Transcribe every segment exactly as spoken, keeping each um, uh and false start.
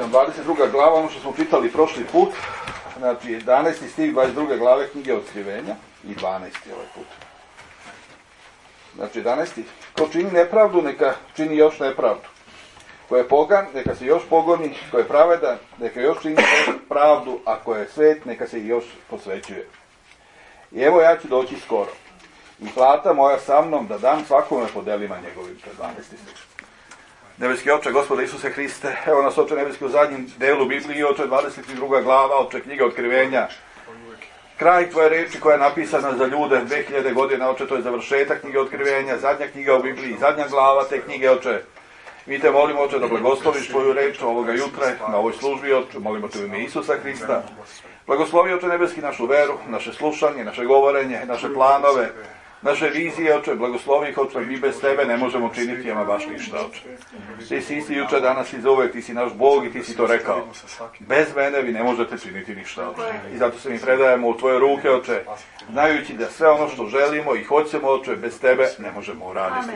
dvadeset druga glava, ono što smo čitali prošli put, znači jedanaesti stih dvadeset druge glave knjige Otkrivenja i dvanaesti ovaj put. Znači jedanaesti Ko čini nepravdu, neka čini još nepravdu. Ko je pogan, neka se još pogoni, ko je pravedan, neka još čini pravdu, a ko je svet, neka se još posvećuje. I evo ja ću doći skoro. I plata moja sa mnom da dam svakome po delima njegovim. dvanaesti stih. Nebeski Oče, Gospode Isuse Hriste, evo nas Oče nebeski u zadnjem delu Biblije, Oče dvadeset druga glava, Oče knjiga Otkrivenja. Kraj tvoje reči koja je napisana za ljude dve hiljade godina, Oče, to je završetak knjige Otkrivenja, zadnja knjiga u Bibliji, zadnja glava te knjige, Oče. Mi te molimo, Oče, da blagosloviš tvoju reč ovoga jutra na ovoj službi, Oče, molimo te u ime Isusa Hrista. Blagoslovi, Oče nebeski, našu veru, naše slušanje, naše govorenje, naše planove, naše vizije, Oče, blagoslovi ih, Oče, mi bez tebe ne možemo činiti ama baš ništa, Oče. Ti si isti juče, danas i zauvek, ti si naš Bog i ti si to rekao. Bez mene vi ne možete činiti ništa, Oče. I zato se mi predajemo u tvoje ruke, Oče, znajući da sve ono što želimo i hoćemo, Oče, bez tebe ne možemo uraditi.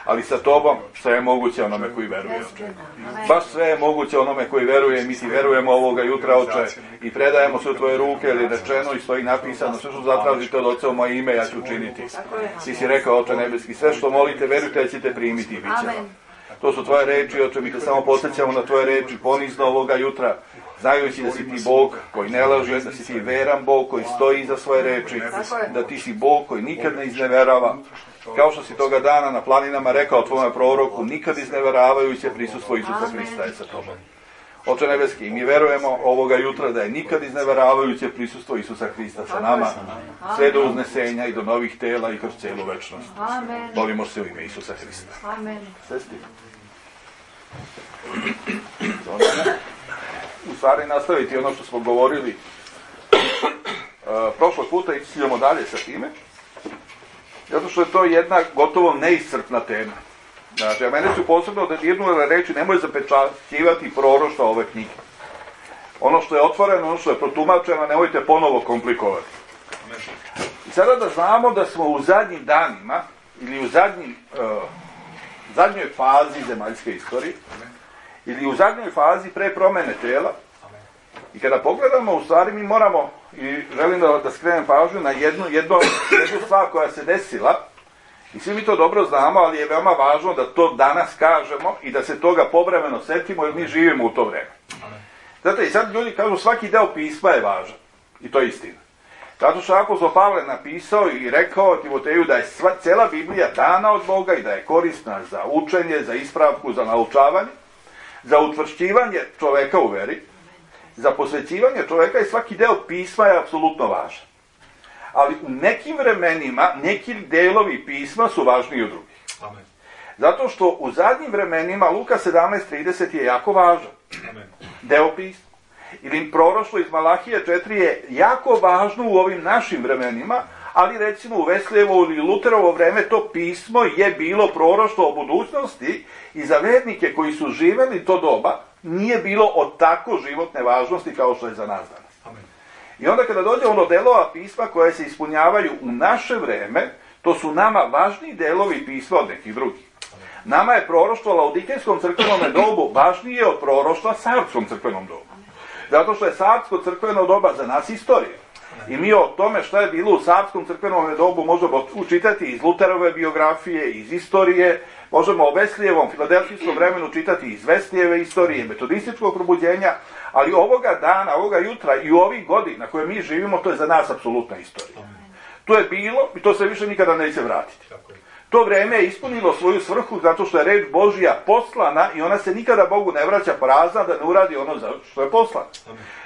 Ali sa tobom sve je moguće onome koji veruje, Oče. Baš sve je moguće onome koji veruje i mi ti verujemo ovoga jutra, Oče, i predajemo se u tvoje ruke, jer je rečeno i stoji napisano, sve što zatražite od Oca u moje ime, ja ću učiniti. Ti si rekao, Oče nebeski, sve što molite, verujte da ćete primiti i bit će vam. To su tvoje reči, Oče, mi te samo podsjećamo na tvoje reči ponizno ovoga jutra, znajući da si ti Bog koji ne laže, da si ti veran Bog koji stoji iza svoje reči, da ti si Bog koji nikad ne izneverava, kao što si toga dana na planinama rekao tvojom proroku, nikad izneveravajuće prisustvo Isusa Hrista je sa tobom. Oče nebeski, mi verujemo ovoga jutra da je nikad izneveravajuće prisustvo Isusa Hrista sa nama, sve do uznesenja i do novih tela i kroz cijelu večnost. Molimo se u ime Isusa Hrista. Sesti. U stvari nastaviti ono što smo govorili uh, prošlog puta i idemo dalje sa time, zato što je to jedna gotovo neiscrpna tema. Znači, a mene su posebno da dirnule reći, nemoj zapečaćivati proroštva ove knjige. Ono što je otvoreno, ono što je protumačeno, nemojte ponovo komplikovati. I sada da znamo da smo u zadnjim danima, ili u zadnjim, uh, zadnjoj fazi zemaljske istorije, ili u zadnjoj fazi pre promene tela, i kada pogledamo, u stvari mi moramo, i želim da, da skrenem pažnju na jednu, jednu, jednu stvar koja se desila, i svi mi to dobro znamo, ali je veoma važno da to danas kažemo i da se toga povremeno setimo, jer mi živimo u to vreme. Zato i sad ljudi kažu svaki deo pisma je važan. I to je istina. Zato što apostol Pavle napisao i rekao Timoteju da je sva, cela Biblija dana od Boga i da je korisna za učenje, za ispravku, za naučavanje, za utvršćivanje čoveka u veri, za posvećivanje čoveka i svaki deo pisma je apsolutno važan. Ali u nekim vremenima, neki delovi pisma su važniji od drugih. Amen. Zato što u zadnjim vremenima Luka sedamnaest trideset je jako važan. Amen. Deo pisma. Ili proroštvo iz Malahije četiri je jako važno u ovim našim vremenima, ali recimo u Veslijevo ili Luterovo vreme to pismo je bilo proroštvo o budućnosti i za vernike koji su živeli to doba nije bilo od tako životne važnosti kao što je za nas danas. Amen. I onda kada dođe ono delova pisma koje se ispunjavaju u naše vreme, to su nama važniji delovi pisma od nekih drugih. Nama je proroštvo Laodikejskom crkvenom dobu važnije od proroštva Sardskom crkvenom dobu. Zato što je Sardsko crkveno doba za nas istorija. I mi o tome šta je bilo u Sardskom crkvenom dobu možemo učitati iz Luterove biografije, iz istorije, možemo o Veslijevom, filadelfijskom vremenu čitati iz Veslijeve istorije, metodističkog probuđenja, ali ovoga dana, ovoga jutra i u ovih godina koje mi živimo, to je za nas apsolutna istorija. To je bilo i to se više nikada neće vratiti. To vreme je ispunilo svoju svrhu zato što je reč Božja poslana i ona se nikada Bogu ne vraća prazna da ne uradi ono za što je poslana.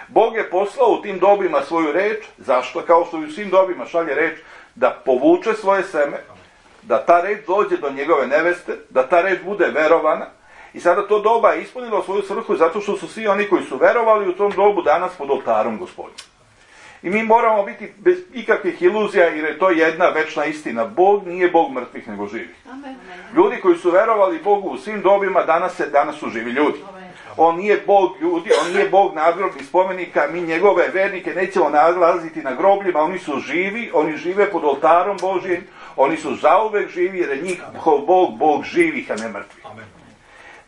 Bog je poslao u tim dobima svoju reč, zašto? Kao što i u svim dobima šalje reč, da povuče svoje seme, da ta reč dođe do njegove neveste, da ta reč bude verovana. I sada to doba je ispunilo svoju svrhu zato što su svi oni koji su verovali u tom dobu danas pod oltarom Gospodnjim. I mi moramo biti bez ikakvih iluzija jer je to jedna večna istina. Bog nije Bog mrtvih nego živih. Ljudi koji su verovali Bogu u svim dobima danas, se, danas su živi ljudi. On nije Bog ljudi, on nije Bog nadgrobnih spomenika, mi njegove vernike nećemo nalaziti na grobljima, oni su živi, oni žive pod oltarom Božjim, oni su zauvek živi jer je njihov Bog, Bog živih, a ne mrtvih.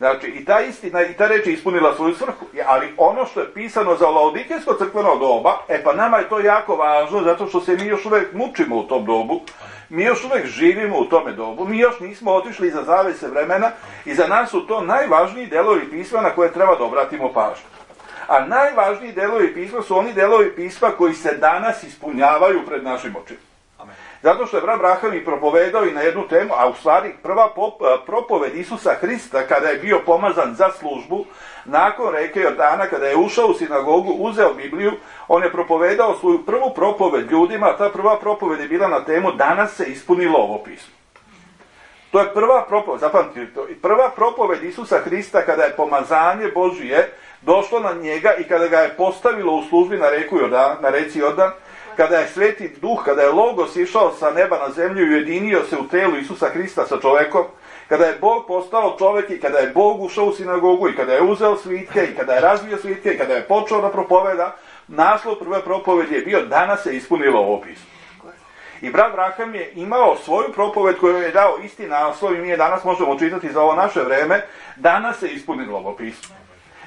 Znači, i ta istina, i ta reč je ispunila svoju svrhu. Ali ono što je pisano za Laodikejsko crkveno doba, e pa nama je to jako važno, zato što se mi još uvek mučimo u tom dobu, mi još uvek živimo u tome dobu, mi još nismo otišli iza zavese vremena i za nas su to najvažniji delovi pisma na koje treba da obratimo pažnju. A najvažniji delovi pisma su oni delovi pisma koji se danas ispunjavaju pred našim očima. Zato što je brat Braham i propovedao i na jednu temu, a u stvari prva propoved Isusa Hrista kada je bio pomazan za službu, nakon reke Jordana, kada je ušao u sinagogu, uzeo Bibliju, on je propovedao svoju prvu propoved ljudima, a ta prva propoved je bila na temu danas se ispunilo ovo pismo. To je prva propoved, zapamtite to, prva propoved Isusa Hrista kada je pomazanje Božije došlo na njega i kada ga je postavilo u službi na reku Jordan, na reci Jordan, kada je Sveti Duh, kada je Logos išao sa neba na zemlju i ujedinio se u telu Isusa Hrista sa čovekom, kada je Bog postao čovek i kada je Bog ušao u sinagogu i kada je uzeo svitke i kada je razvio svitke i kada je počeo da propoveda, naslov prve propovedi je bio danas se ispunilo ovo pismo. I brat Braham je imao svoju propoved koju je dao isti naslov i mi je danas možemo čitati za ovo naše vreme, danas se ispunilo ovo pismo.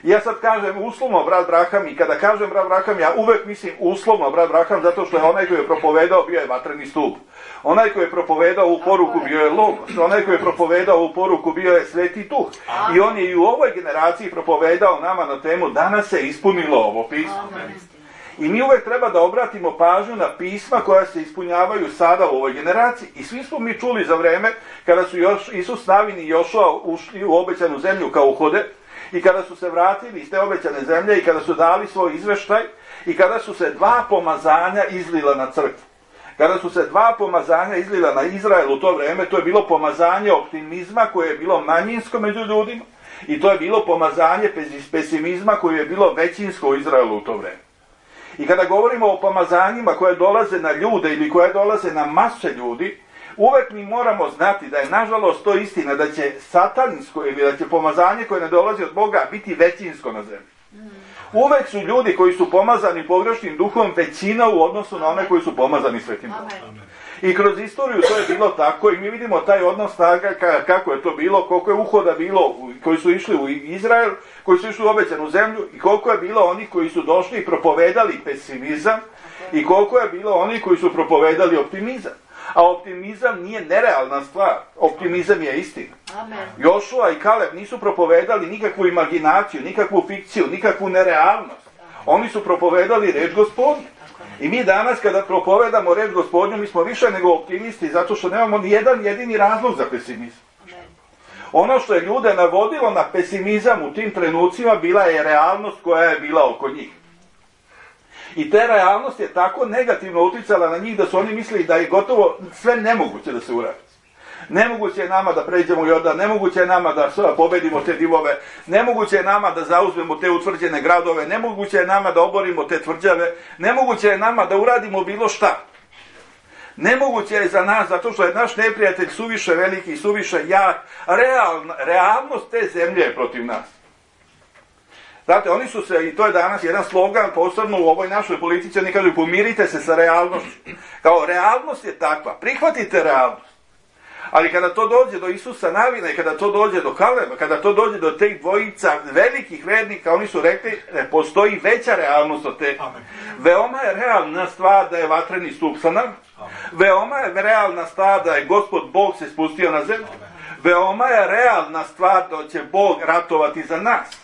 Ja sad kažem uslovno brat Braham i kada kažem brat Braham, ja uvek mislim uslovno brat Braham zato što je onaj koji je propovedao bio je vatreni stup. Onaj koji je propovedao u poruku bio je Logos. Onaj koji je propovedao u poruku bio je Sveti Duh. I on je i u ovoj generaciji propovedao nama na temu danas se ispunilo ovo pismo. I mi uvek treba da obratimo pažnju na pisma koja se ispunjavaju sada u ovoj generaciji. I svi smo mi čuli za vreme kada su još Isus, Navin i Jošua ušli u obećanu zemlju kao uhode, i kada su se vratili iz te obećane zemlje i kada su dali svoj izveštaj i kada su se dva pomazanja izlila na crkvu. Kada su se dva pomazanja izlila na Izrael u to vreme, to je bilo pomazanje optimizma koje je bilo manjinsko među ljudima i to je bilo pomazanje pesimizma koje je bilo većinsko u Izraelu u to vreme. I kada govorimo o pomazanjima koje dolaze na ljude ili koje dolaze na mase ljudi, uvek mi moramo znati da je nažalost to istina da će satansko ili da će pomazanje koje ne dolazi od Boga biti većinsko na zemlji. Uvek su ljudi koji su pomazani pogrešnim duhom većina u odnosu na one koji su pomazani Svetim Duhom. I kroz istoriju to je bilo tako i mi vidimo taj odnos snaga kako je to bilo, koliko je uhoda bilo koji su išli u Izrael, koji su išli u obećanu zemlju i koliko je bilo onih koji su došli i propovedali pesimizam i koliko je bilo onih koji su propovedali optimizam. A optimizam nije nerealna stvar, optimizam je istina. Amen. Jošua i Kaleb nisu propovedali nikakvu imaginaciju, nikakvu fikciju, nikakvu nerealnost. Oni su propovedali reč Gospodnju. I mi danas kada propovedamo reč Gospodnju, mi smo više nego optimisti, zato što nemamo ni jedan jedini razlog za pesimizam. Ono što je ljude navodilo na pesimizam u tim trenucima bila je realnost koja je bila oko njih. I ta realnost je tako negativno uticala na njih da su oni mislili da je gotovo sve nemoguće da se uradi. Nemoguće je nama da pređemo Jordan, nemoguće je nama da pobedimo te divove, nemoguće je nama da zauzmemo te utvrđene gradove, nemoguće je nama da oborimo te tvrđave, nemoguće je nama da uradimo bilo šta. Nemoguće je za nas, zato što je naš neprijatelj suviše veliki i suviše jak, realna, realnost te zemlje je protiv nas. Znate, oni su se, i to je danas jedan slogan, posebno u ovoj našoj politici, oni kažu pomirite se sa realnošću. Kao realnost je takva, prihvatite realnost. Ali kada to dođe do Isusa Navina i kada to dođe do Kaleba, kada to dođe do teh dvojica velikih vernika, oni su rekli da postoji veća realnost od te. Veoma je realna stvar da je vatreni stup sa nama. Veoma je realna stvar da je Gospod Bog se spustio na zemlju. Veoma je realna stvar da će Bog ratovati za nas.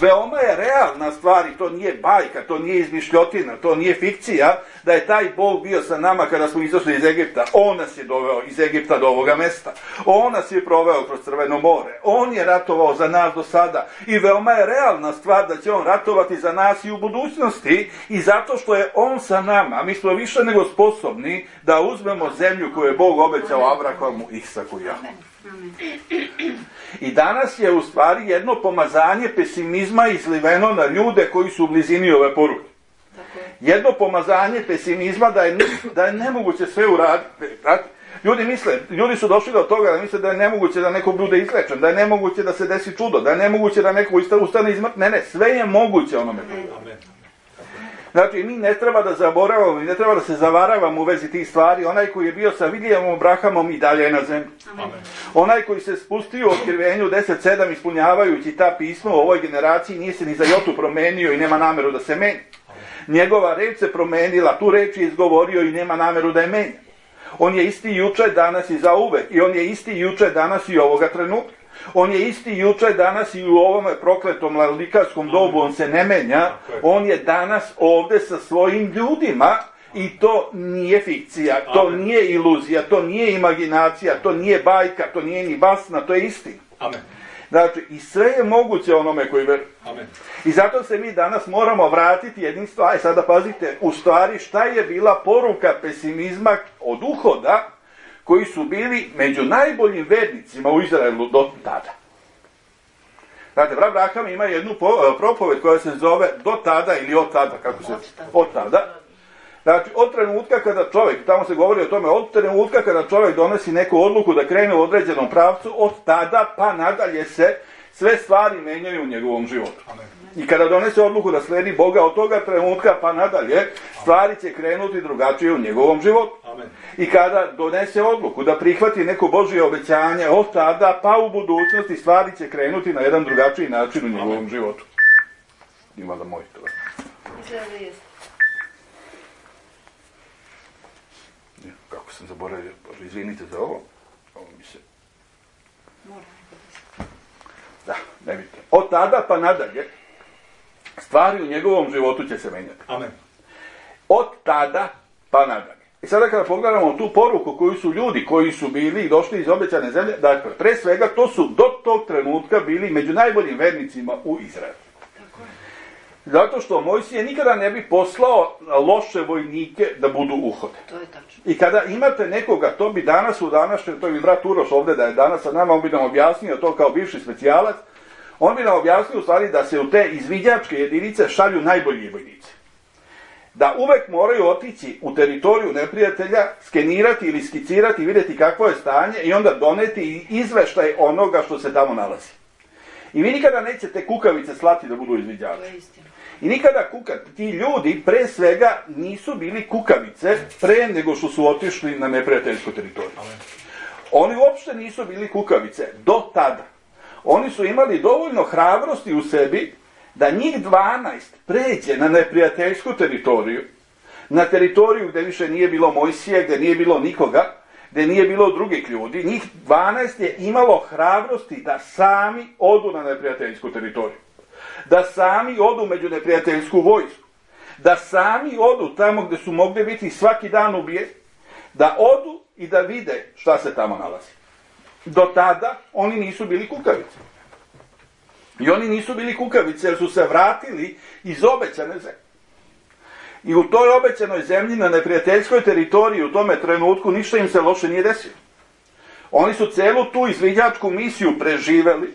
Veoma je realna stvar i to nije bajka, to nije izmišljotina, to nije fikcija, da je taj Bog bio sa nama kada smo izašli iz Egipta. On nas je doveo iz Egipta do ovoga mesta. On nas je proveo kroz Crveno more. On je ratovao za nas do sada. I veoma je realna stvar da će on ratovati za nas i u budućnosti. I zato što je on sa nama, mi smo više nego sposobni da uzmemo zemlju koju je Bog obećao Abrahamu, Isaku i Jakovu. I danas je u stvari jedno pomazanje pesimizma izliveno na ljude koji su u blizini ove poruke. Jedno pomazanje pesimizma da je, da je nemoguće sve uraditi. Ljudi misle, ljudi su došli do toga da misle da je nemoguće da neko bude izlečen, da je nemoguće da se desi čudo, da je nemoguće da neko ustane iz mrtvih. Ne, ne, sve je moguće onome. Znači, mi ne treba da zaboravamo i ne treba da se zavaravamo u vezi tih stvari. Onaj koji je bio sa Vilijamom Abrahamom i dalje je na zemlji. Amen. Onaj koji se spustio u Otkrivenju deset sedam ispunjavajući ta pisma u ovoj generaciji nije se ni za jotu promenio i nema nameru da se meni. Njegova reč se promenila, tu reč je izgovorio i nema nameru da je menja. On je isti juče, danas i zauvek. I on je isti juče, danas i ovoga trenutka. On je isti juče, danas i u ovome prokletom lalikarskom dobu, on se ne menja. On je danas ovde sa svojim ljudima i to nije fikcija, to Amen. Nije iluzija, to nije imaginacija, to nije bajka, to nije ni basna, to je istina. Amen. Znači, i sve je moguće onome koji veruje. Amen. I zato se mi danas moramo vratiti jednim stvari. Sada pazite, u stvari šta je bila poruka pesimizma od uhoda koji su bili među najboljim vernicima u Izraelu do tada. Znate, brat Abraham ima jednu propoved koja se zove do tada ili od tada, kako se... Od tada. Znači, od trenutka kada čovjek, tamo se govori o tome, od trenutka kada čovjek donosi neku odluku da krene u određenom pravcu, od tada pa nadalje se sve stvari menjaju u njegovom životu. Amen. I kada donese odluku da sledi Boga, od toga trenutka pa nadalje, stvari će krenuti drugačije u njegovom životu. Amen. I kada donese odluku da prihvati neko Božje obećanje, od tada pa u budućnosti stvari će krenuti na jedan drugačiji način u njegovom Amen. Životu. Ima da moj to. Izgleda da jeste. Kako sam zaboravio, Bože, izvinite za ovo. Ovo mi se... Da, ne vidite. Od tada pa nadalje, stvari u njegovom životu će se menjati. Amen. Od tada pa nadalje. I sada kada pogledamo tu poruku koju su ljudi koji su bili i došli iz obećane zemlje, dakle, pre svega to su do tog trenutka bili među najboljim vernicima u Izraelu. Zato što Mojsije nikada ne bi poslao loše vojnike da budu uhode. To je tačno. I kada imate nekoga, to bi danas u današnjem, to je brat Uroš ovde da je danas sa nama, on bi nam objasnio to kao bivši specijalac, on bi nam objasnio u stvari da se u te izviđačke jedinice šalju najbolji vojnici. Da uvek moraju otići u teritoriju neprijatelja, skenirati ili skicirati, vidjeti kakvo je stanje i onda doneti izveštaj onoga što se tamo nalazi. I vi nikada nećete kukavice slati da budu izviđači. I nikada kukavice, ti ljudi pre svega nisu bili kukavice pre nego što su otišli na neprijateljsku teritoriju. Oni uopšte nisu bili kukavice do tada. Oni su imali dovoljno hrabrosti u sebi da njih dvanaest pređe na neprijateljsku teritoriju, na teritoriju gde više nije bilo Mojsije, gde nije bilo nikoga, gde nije bilo drugih ljudi. Njih dvanaest je imalo hrabrosti da sami odu na neprijateljsku teritoriju. Da sami odu među neprijateljsku vojsku. Da sami odu tamo gde su mogli biti svaki dan ubijeni. Da odu i da vide šta se tamo nalazi. Do tada oni nisu bili kukavice. I oni nisu bili kukavice jer su se vratili iz obećane zemlje. I u toj obećanoj zemlji na neprijateljskoj teritoriji u tome trenutku ništa im se loše nije desilo. Oni su celu tu izviđačku misiju preživeli,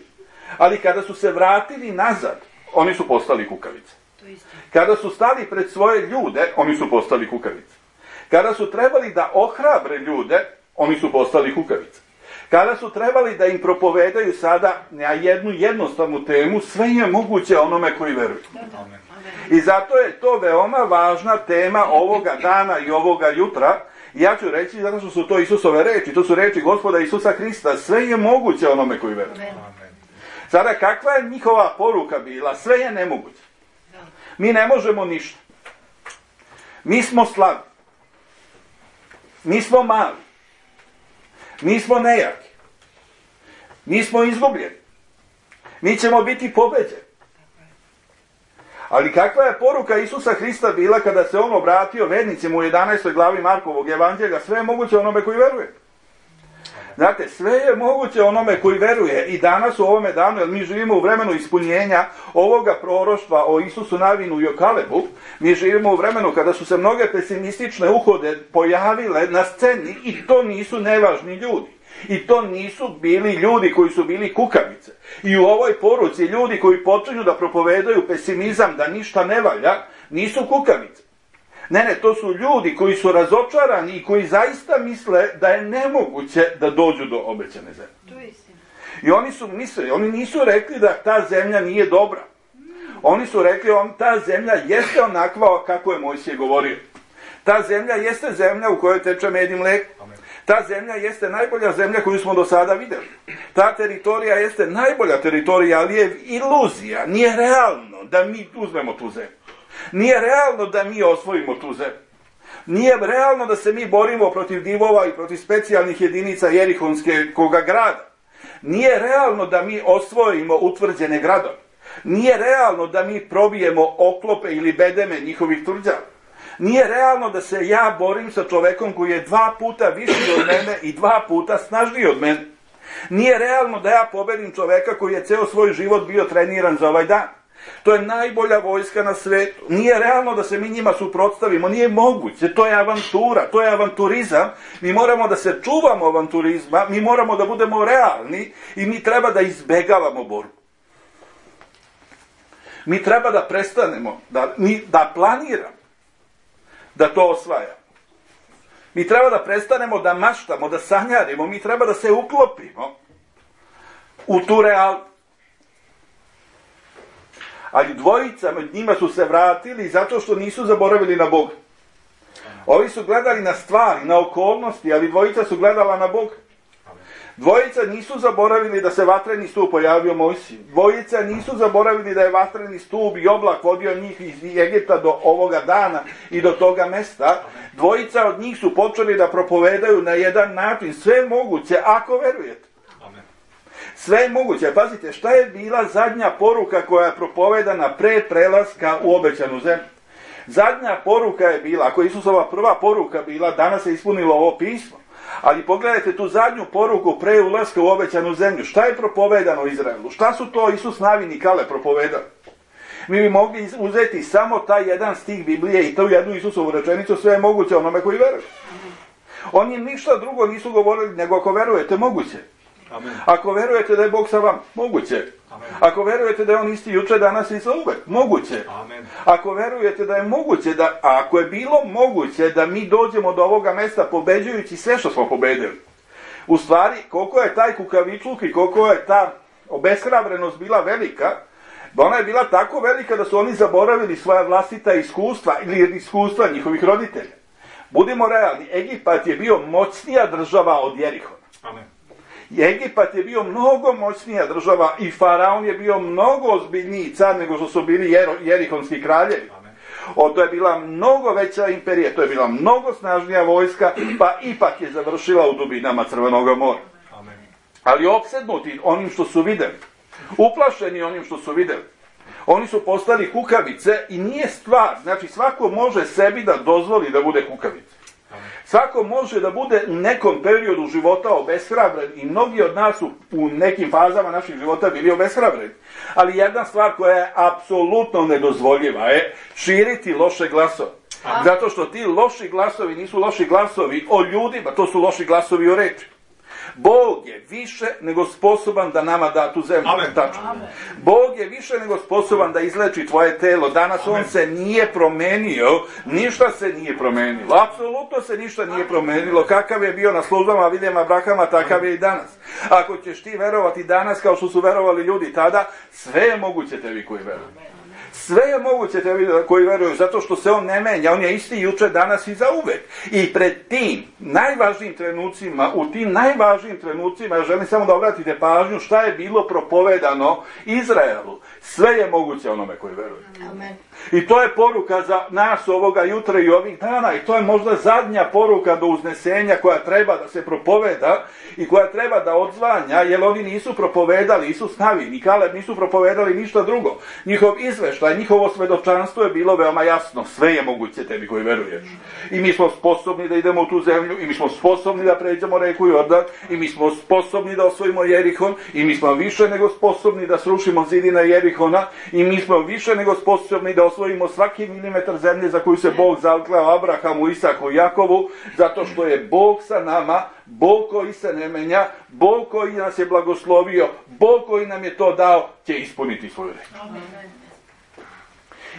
ali kada su se vratili nazad, oni su postali kukavice. Kada su stali pred svoje ljude, oni su postali kukavice. Kada su trebali da ohrabre ljude, oni su postali kukavice. Kada su trebali da im propovedaju sada na jednu jednostavnu temu, sve je moguće onome koji veruju. I zato je to veoma važna tema ovoga dana i ovoga jutra. Ja ću reći zato što su to Isusove reči, to su reči Gospoda Isusa Hrista, sve je moguće onome koji veruje. Sada, kakva je njihova poruka bila? Sve je nemoguće. Mi ne možemo ništa. Mi smo slabi. Mi smo mali. Mi smo nejaki. Mi smo izgubljeni. Mi ćemo biti pobeđeni. Ali kakva je poruka Isusa Hrista bila kada se on obratio vernicima u jedanaestoj glavi Markovog evanđelja? Sve je moguće onome koji veruje. Znate, sve je moguće onome koji veruje i danas u ovome danu, jer mi živimo u vremenu ispunjenja ovoga proroštva o Isusu Navinu i o Kalebu, mi živimo u vremenu kada su se mnoge pesimistične uhode pojavile na sceni i to nisu nevažni ljudi. I to nisu bili ljudi koji su bili kukavice. I u ovoj poruci ljudi koji počinju da propovedaju pesimizam, da ništa ne valja, nisu kukavice. Ne, ne, to su ljudi koji su razočarani i koji zaista misle da je nemoguće da dođu do obećane zemlje. I oni su mislili, oni nisu rekli da ta zemlja nije dobra. Oni su rekli, on, ta zemlja jeste onakva kako je Mojsije govorio. Ta zemlja jeste zemlja u kojoj teče med i mlijeko. Ta zemlja jeste najbolja zemlja koju smo do sada vidjeli. Ta teritorija jeste najbolja teritorija, ali je iluzija. Nije realno da mi uzmemo tu zemlju. Nije realno da mi osvojimo tu zemlju. Nije realno da se mi borimo protiv divova i protiv specijalnih jedinica Jerihonskog grada. Nije realno da mi osvojimo utvrđene gradove. Nije realno da mi probijemo oklope ili bedeme njihovih tvrđava. Nije realno da se ja borim sa čovekom koji je dva puta viši od mene i dva puta snažniji od mene. Nije realno da ja pobedim čoveka koji je ceo svoj život bio treniran za ovaj dan. To je najbolja vojska na svetu. Nije realno da se mi njima suprotstavimo. Nije moguće. To je avantura. To je avanturizam. Mi moramo da se čuvamo avanturizma. Mi moramo da budemo realni i mi treba da izbegavamo borbu. Mi treba da prestanemo, da, mi, da planiramo da to osvajamo. Mi treba da prestanemo da maštamo, da sanjarimo. Mi treba da se uklopimo u tu realnost. Ali dvojica med njima su se vratili zato što nisu zaboravili na Boga. Ovi su gledali na stvari, na okolnosti, ali dvojica su gledala na Boga. Dvojica nisu zaboravili da se vatreni stup pojavio Mojsiju. Dvojica nisu zaboravili da je vatreni stup i oblak vodio njih iz Egipta do ovoga dana i do toga mesta. Dvojica od njih su počeli da propovedaju na jedan način sve moguće, ako verujete. Sve je moguće. Pazite, šta je bila zadnja poruka koja je propovedana pre prelaska u obećanu zemlju? Zadnja poruka je bila, ako je Isusova prva poruka bila, danas se ispunilo ovo pismo. Ali pogledajte tu zadnju poruku pre ulaska u obećanu zemlju. Šta je propovedano Izraelu? Šta su to Isus, Navin i Kale propovedali? Mi bi mogli uzeti samo taj jedan stih Biblije i tu jednu Isusovu rečenicu, sve je moguće onome koji veruje. Oni ništa drugo nisu govorili, nego ako verujete, moguće. Amen. Ako verujete da je Bog sa vam, moguće. Amen. Ako verujete da je on isti juče, danas i za uvek, moguće. Amen. Ako verujete da je moguće, da, a ako je bilo moguće da mi dođemo do ovoga mesta pobeđujući sve što smo pobedili. U stvari, koliko je taj kukavičluk i koliko je ta obeshrabrenost bila velika, ona je bila tako velika da su oni zaboravili svoja vlastita iskustva ili iskustva njihovih roditelja. Budimo realni, Egipat je bio moćnija država od Jerihona. Amen. Egipat je bio mnogo moćnija država i Faraon je bio mnogo ozbiljniji car nego što su bili jer, jerihonski kraljevi. O, to je bila mnogo veća imperija, to je bila mnogo snažnija vojska, pa ipak je završila u dubinama Crvenog mora. Amen. Ali opsednuti onim što su videli, uplašeni onim što su videli, oni su postali kukavice i nije stvar, znači svako može sebi da dozvoli da bude kukavica. Svako može da bude u nekom periodu života obeshrabren i mnogi od nas su u nekim fazama naših života bili obeshrabreni. Ali jedna stvar koja je apsolutno nedozvoljiva je širiti loše glasove. Zato što ti loši glasovi nisu loši glasovi o ljudima, to su loši glasovi o reči. Bog je više nego sposoban da nama da tu zemlju. Amen. Amen. Bog je više nego sposoban da izleči tvoje telo. Danas Amen. On se nije promenio, ništa se nije promenilo. Apsolutno se ništa nije promenilo. Kakav je bio na službama Viljema Abrahama, takav je i danas. Ako ćeš ti verovati danas kao što su verovali ljudi tada, sve je moguće tebi koji veruju. Sve je moguće tebi koji veruju, zato što se on ne menja, on je isti juče, danas i zauvek. I pred tim najvažnijim trenucima, u tim najvažnijim trenucima, ja želim samo da obratite pažnju šta je bilo propovedano Izraelu. Sve je moguće onome koji veruje. Amen. I to je poruka za nas ovoga jutra i ovih dana i to je možda zadnja poruka do uznesenja koja treba da se propoveda i koja treba da odzvanja, jer oni nisu propovedali, Isus, Navin i Kaleb nisu propovedali ništa drugo. Njihov izveštaj, njihovo svedočanstvo je bilo veoma jasno. Sve je moguće tebi koji veruješ. I mi smo sposobni da idemo u tu zemlju, i mi smo sposobni da pređemo reku Jordan, i mi smo sposobni da osvojimo Jerihon, i mi smo više nego sposobni da srušimo zidine Jerihona, i mi smo više nego sposobni da osvojimo svaki milimetar zemlje za koju se Bog zakleo Abrahamu, Isaku i Jakovu, zato što je Bog sa nama, Bog koji se ne menja, Bog koji nas je blagoslovio, Bog koji nam je to dao, će ispuniti svoju reč.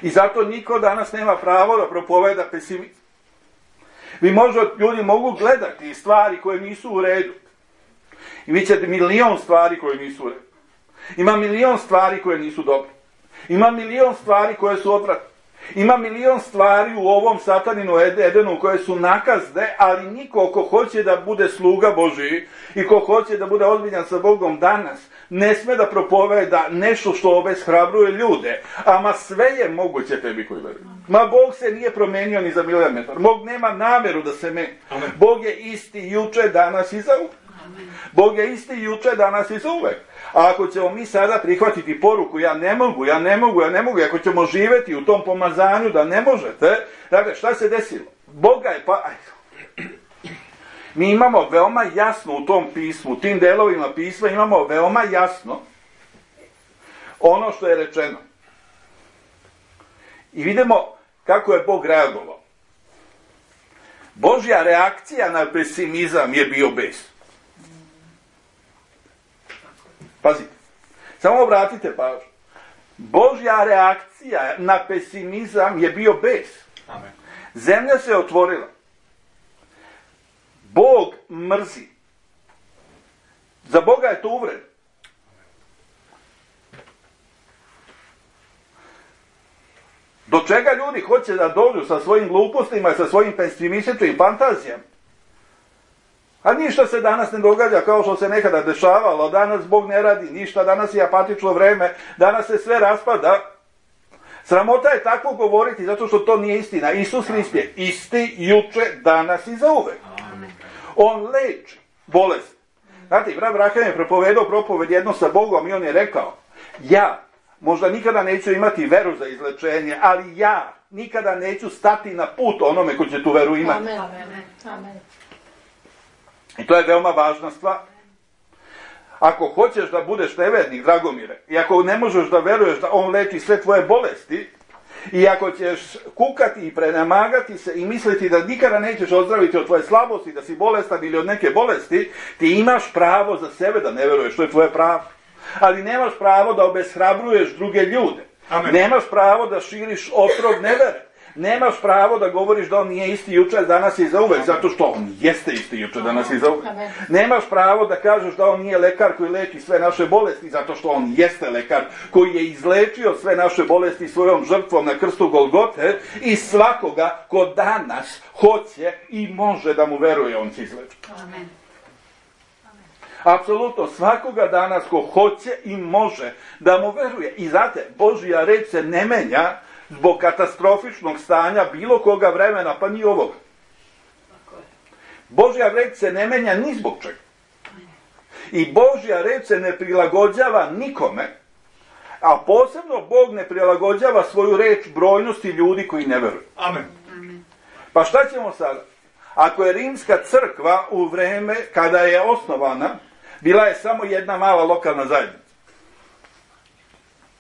I zato niko danas nema pravo da propoveda pesimizam. Vi možda, ljudi mogu gledati stvari koje nisu u redu. I vi ćete milion stvari koje nisu u redu. Ima milion stvari koje nisu dobre. Ima milion stvari koje su odvratne. Ima milion stvari u ovom sataninu Edenu koje su nakazne, ali niko ko hoće da bude sluga Božiji i ko hoće da bude ozbiljan sa Bogom danas, ne sme da propoveda nešto što obeshrabruje ljude. Ama sve je moguće tebi koji veruju. Ma Bog se nije promenio ni za milimetar. Bog nema nameru da se meni. Bog je isti juče, danas i za uvek. Bog je isti juče, danas i za uvek. A ako ćemo mi sada prihvatiti poruku, ja ne mogu, ja ne mogu, ja ne mogu, ako ćemo živjeti u tom pomazanju da ne možete, dakle, šta se desilo? Boga je pa... Mi imamo veoma jasno u tom pismu, u tim delovima pisma imamo veoma jasno ono što je rečeno. I vidimo kako je Bog reagovao. Božja reakcija na pesimizam je bio bes. Pazite, samo obratite pažnju. Božja reakcija na pesimizam je bio bes. Amen. Zemlja se otvorila. Bog mrzi. Za Boga je to uvreda. Do čega ljudi hoće da dođu sa svojim glupostima i sa svojim pesimističnim fantazijama? A ništa se danas ne događa kao što se nekada dešavalo. Danas Bog ne radi ništa, danas je apatično vreme, danas se sve raspada. Sramota je tako govoriti zato što to nije istina. Isus Hrist je isti juče, danas i zauvek. On leči bolest. Znate, brat Braham je propovedao propoved jedno sa Bogom i on je rekao, ja možda nikada neću imati veru za izlečenje, ali ja nikada neću stati na put onome ko će tu veru imati. Amen. Amen. I to je veoma važna stvar. Ako hoćeš da budeš nevernik, Dragomire, i ako ne možeš da veruješ da on leči sve tvoje bolesti, i ako ćeš kukati i prenemagati se i misliti da nikada nećeš ozdraviti od tvoje slabosti, da si bolestan ili od neke bolesti, ti imaš pravo za sebe da ne veruješ, to je tvoje pravo. Ali nemaš pravo da obeshrabruješ druge ljude. Amen. Nemaš pravo da širiš otrov nevere. Nemaš pravo da govoriš da on nije isti juče, danas i zauvek, zato što on jeste isti juče, danas i zauvek. Nemaš pravo da kažeš da on nije lekar koji leči sve naše bolesti, zato što on jeste lekar koji je izlečio sve naše bolesti svojom žrtvom na krstu Golgote i svakoga ko danas hoće i može da mu veruje, on će izlečiti. Amen. Apsolutno, svakoga danas ko hoće i može da mu veruje. I znate, Božja reč se ne menja zbog katastrofičnog stanja bilo koga vremena, pa ni ovoga. Božja reč se ne menja ni zbog čega. I Božja reč se ne prilagođava nikome, a posebno Bog ne prilagođava svoju reč brojnosti ljudi koji ne veruju. Amen. Pa šta ćemo sada? Ako je rimska crkva u vreme kada je osnovana, bila je samo jedna mala lokalna zajednica.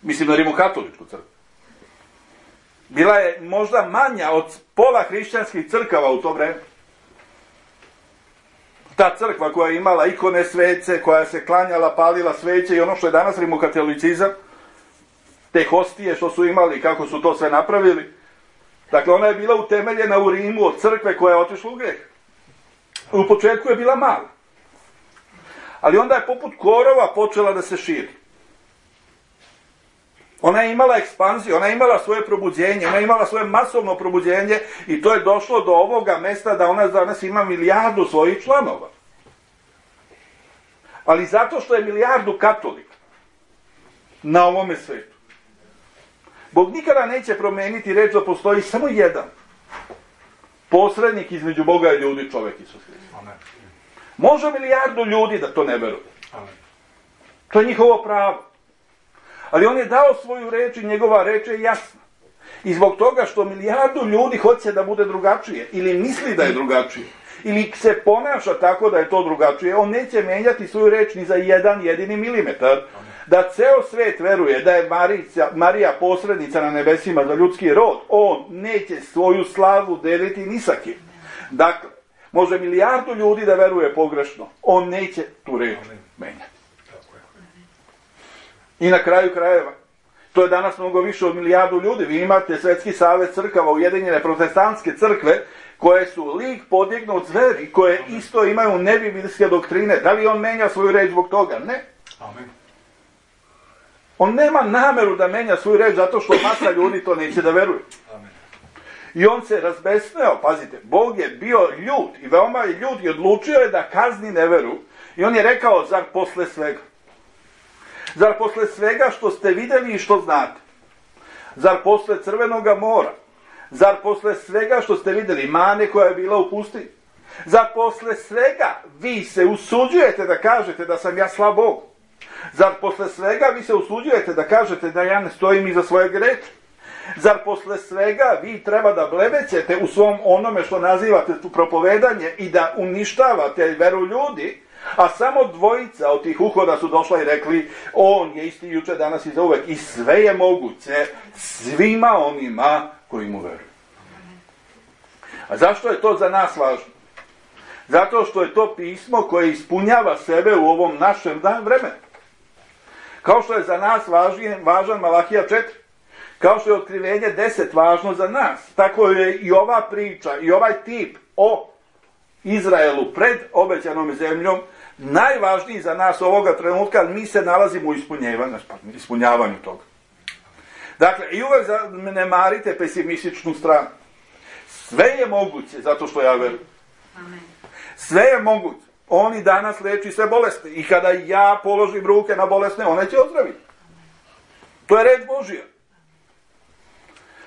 Mislim na rimokatoličku crkvu. Bila je možda manja od pola hrišćanskih crkava u to vreme. Ta crkva koja je imala ikone svece, koja se klanjala, palila sveće i ono što je danas rimokatolicizam, te hostije što su imali, kako su to sve napravili. Dakle, ona je bila utemeljena u Rimu od crkve koja je otišla u greh. U početku je bila mala. Ali onda je poput korova počela da se širi. Ona je imala ekspanziju, ona je imala svoje probuđenje, ona je imala svoje masovno probuđenje i to je došlo do ovoga mesta da ona danas ima milijardu svojih članova. Ali zato što je milijardu katolika na ovome svetu, Bog nikada neće promeniti reč da postoji samo jedan posrednik između Boga i ljudi, čovjek Isus Hrist. Može milijardu ljudi da to ne veruje. To je njihovo pravo. Ali on je dao svoju reč i njegova reč je jasna. I zbog toga što milijardu ljudi hoće da bude drugačije, ili misli da je drugačije, ili se ponaša tako da je to drugačije, on neće menjati svoju reč ni za jedan jedini milimetar. Da ceo svet veruje da je Marica, Marija posrednica na nebesima za ljudski rod, on neće svoju slavu deliti ni sa kim. Dakle, može milijardu ljudi da veruje pogrešno, on neće tu reč menjati. I na kraju krajeva, to je danas mnogo više od milijardu ljudi. Vi imate Svetski savez crkava, Ujedinjene protestantske crkve, koje su lik podignut zveri, koje isto imaju nebiblijske doktrine. Da li on menja svoju reč zbog toga? Ne. Amen. On nema nameru da menja svoju reč zato što masa ljudi to neće da veruje. Amen. I on se razbesneo, pazite, Bog je bio ljut i veoma je ljut i odlučio je da kazni neveru. I on je rekao, zar posle svega? Zar posle svega što ste vidjeli i što znate? Zar posle Crvenoga mora? Zar posle svega što ste vidjeli mane koja je bila u pustinji? Zar posle svega vi se usuđujete da kažete da sam ja slab Bog? Zar posle svega vi se usuđujete da kažete da ja ne stojim iza svojeg reči? Zar posle svega vi treba da blebećete u svom onome što nazivate tu propovedanje i da uništavate veru ljudi, a samo dvojica od tih uhoda su došla i rekli, on je isti juče, danas i zauvek, i sve je moguće svima onima koji mu veruju. A zašto je to za nas važno? Zato što je to pismo koje ispunjava sebe u ovom našem vremenu. Kao što je za nas važan, važan Malahija četiri, kao što je otkrivenje deset važno za nas, tako je i ova priča i ovaj tip o Izraelu pred obećanom zemljom najvažniji za nas ovoga trenutka, mi se nalazimo u ispunjavanju, ispunjavanju toga. Dakle, i uvek ne marite pesimističnu stranu. Sve je moguće, zato što ja verujem. Sve je moguće. On i danas leči sve bolesti. I kada ja položim ruke na bolesne, one će ozdraviti. To je reč Božija.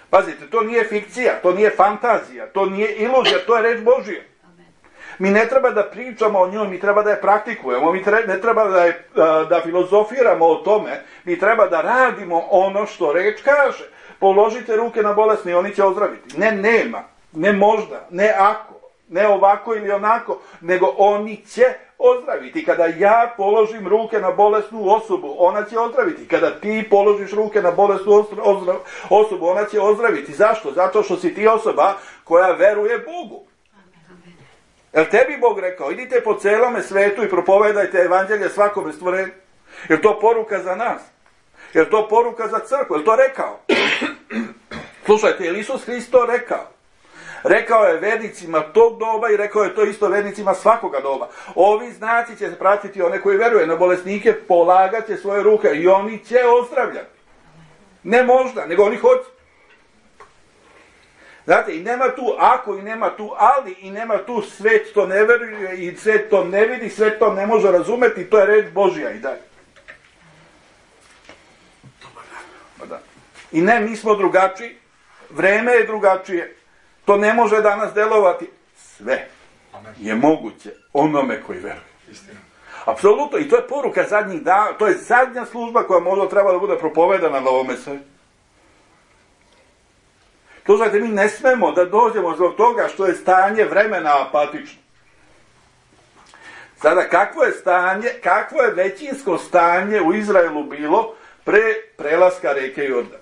Pazite, to nije fikcija, to nije fantazija, to nije iluzija, to je reč Božija. Mi ne treba da pričamo o njoj, mi treba da je praktikujemo, mi tre, ne treba da, je, da filozofiramo o tome, mi treba da radimo ono što reč kaže. Položite ruke na bolesne i oni će ozdraviti. Ne nema, ne možda, ne ako, ne ovako ili onako, nego oni će ozdraviti. Kada ja položim ruke na bolesnu osobu, ona će ozdraviti. Kada ti položiš ruke na bolesnu osobu, ona će ozdraviti. Zašto? Zato što si ti osoba koja veruje Bogu. Jel tebi Bog rekao, idite po celome svetu i propovedajte evanđelje svakome stvorenju? Jel to poruka za nas? Jel to poruka za crkvu? Jel to rekao? Slušajte, je Isus Hrist to rekao? Rekao je vernicima tog doba i rekao je to isto vernicima svakoga doba. Ovi znaci će pratiti one koji veruje na bolesnike, polagat će svoje ruke i oni će ozdravljati. Ne možda, nego oni hoće. Znate, i nema tu ako, i nema tu ali, i nema tu svet to ne veruje, i svet to ne vidi, svet to ne može razumeti, to je reč Božja i dalje. Da. I ne, mi smo drugačiji, vreme je drugačije, to ne može danas delovati. Sve je moguće onome koji veruje. Apsolutno, i to je poruka zadnjih dana, to je zadnja služba koja možda treba da bude propovedana na ovome svetu. Slušajte, mi ne smemo da dođemo zbog toga što je stanje vremena apatično. Sada, kakvo je stanje, kakvo je većinsko stanje u Izraelu bilo pre prelaska reke Jordan?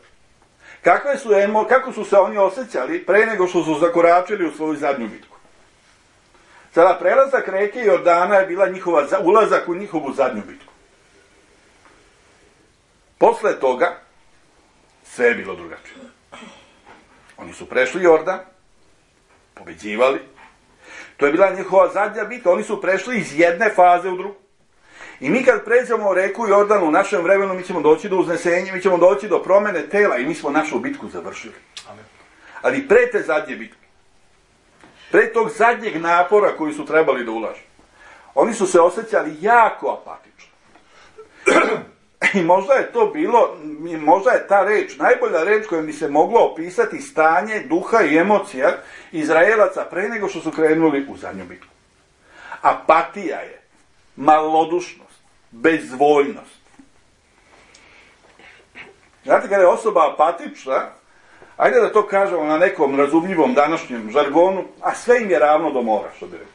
Kakve su, kako su se oni osjećali pre nego što su zakoračili u svoju zadnju bitku? Sada, prelazak reke Jordana je bila njihova, ulazak u njihovu zadnju bitku. Posle toga, sve je bilo drugačije. Oni su prešli Jordan, pobeđivali. To je bila njihova zadnja bitka. Oni su prešli iz jedne faze u drugu. I mi kad pređemo reku Jordan u našem vremenu, mi ćemo doći do uznesenja, mi ćemo doći do promene tela i mi smo našu bitku završili. Amen. Ali pre te zadnje bitke, pre tog zadnjeg napora koji su trebali da ulažu, oni su se osjećali jako apatično. I možda je to bilo, možda je ta reč, najbolja reč koja bi se mogla opisati stanje duha i emocija Izraelaca pre nego što su krenuli u zadnju bitku. Apatija je malodušnost, bezvoljnost. Znate, kada je osoba apatična, ajde da to kažemo na nekom razumljivom današnjem žargonu, a sve im je ravno do mora, što bi rekli.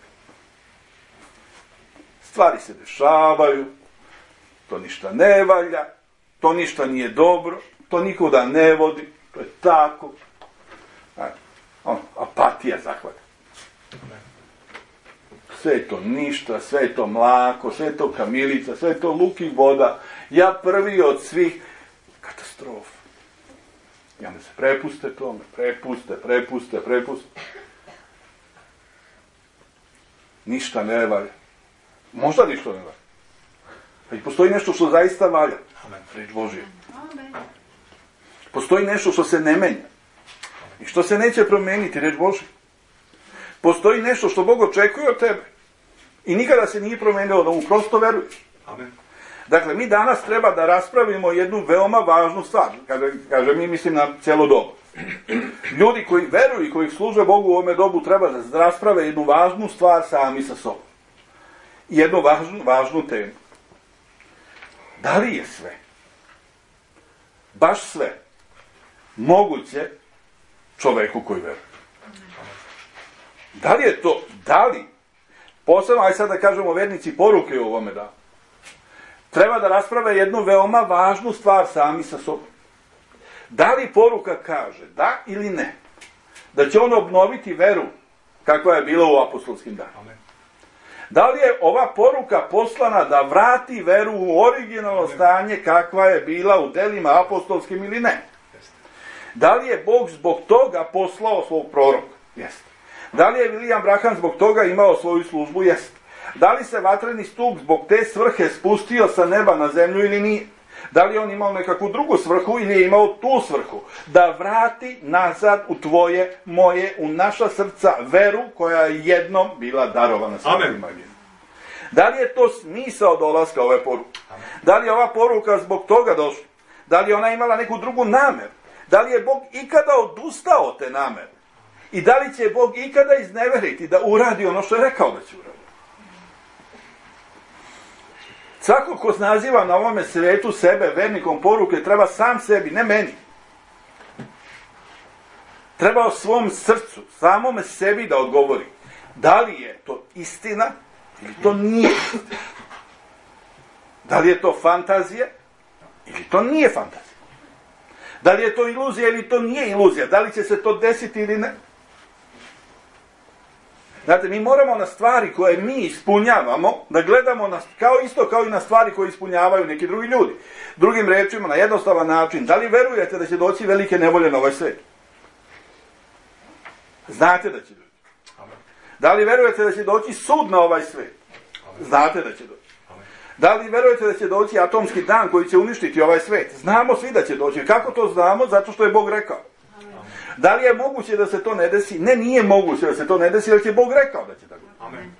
Stvari se dešavaju, to ništa ne valja, to ništa nije dobro, to nikuda ne vodi, to je tako. On, apatija zahvata. Sve je to ništa, sve je to mlako, sve je to kamilica, sve je to luk i voda. Ja prvi od svih, katastrofa. I onda se prepuste tome, prepuste, prepuste, prepuste. Ništa ne valja. Možda ništa ne valja. I postoji nešto što zaista valja. Amen. Reč Božija. Amen. Postoji nešto što se ne menja. I što se neće promeniti, reč Božija. Postoji nešto što Bog očekuje od tebe. I nikada se nije promenilo, da mu prosto veruješ. Amen. Dakle, mi danas treba da raspravimo jednu veoma važnu stvar. Kaže, kaže mi mislim na cijelo dobu. Ljudi koji veruju i koji služe Bogu u ovome dobu treba da rasprave jednu važnu stvar sami sa sobom. Jednu važnu, važnu temu. Da li je sve, baš sve, moguće čoveku koji veruje? Da li je to, da li, posebno, aj sad da kažemo vernici poruke u ovome danu, treba da rasprave jednu veoma važnu stvar sami sa sobom. Da li poruka kaže, da ili ne, da će on obnoviti veru kakva je bila u apostolskim danima? Da li je ova poruka poslana da vrati veru u originalno stanje kakva je bila u delima apostolskim ili ne? Da li je Bog zbog toga poslao svog proroka? Jeste. Da li je William Branham zbog toga imao svoju službu? Jeste. Da li se vatreni stup zbog te svrhe spustio sa neba na zemlju ili nije? Da li je on imao nekakvu drugu svrhu ili je imao tu svrhu? Da vrati nazad u tvoje, moje, u naša srca veru koja je jednom bila darovana svetima. Da li je to smisao dolaska ove poruke? Da li je ova poruka zbog toga došla? Da li je ona imala neku drugu nameru? Da li je Bog ikada odustao od te namere? I da li će Bog ikada izneveriti da uradi ono što je rekao da će uraditi? Svako ko naziva na ovome svetu sebe vernikom poruke treba sam sebi, ne meni. Treba o svom srcu, samome sebi da odgovori. Da li je to istina ili to nije istina? Da li je to fantazija ili to nije fantazija? Da li je to iluzija ili to nije iluzija? Da li će se to desiti ili ne? Znate, mi moramo na stvari koje mi ispunjavamo, da gledamo na, kao isto kao i na stvari koje ispunjavaju neki drugi ljudi. Drugim rečima, na jednostavan način, da li verujete da će doći velike nevolje na ovaj svijet? Znate da će doći. Da li verujete da će doći sud na ovaj svijet? Znate da će doći. Da li verujete da će doći atomski dan koji će uništiti ovaj svijet? Znamo svi da će doći. Kako to znamo? Zato što je Bog rekao. Da li je moguće da se to ne desi? Ne, nije moguće da se to ne desi, jer će Bog rekao da će tako. Amen.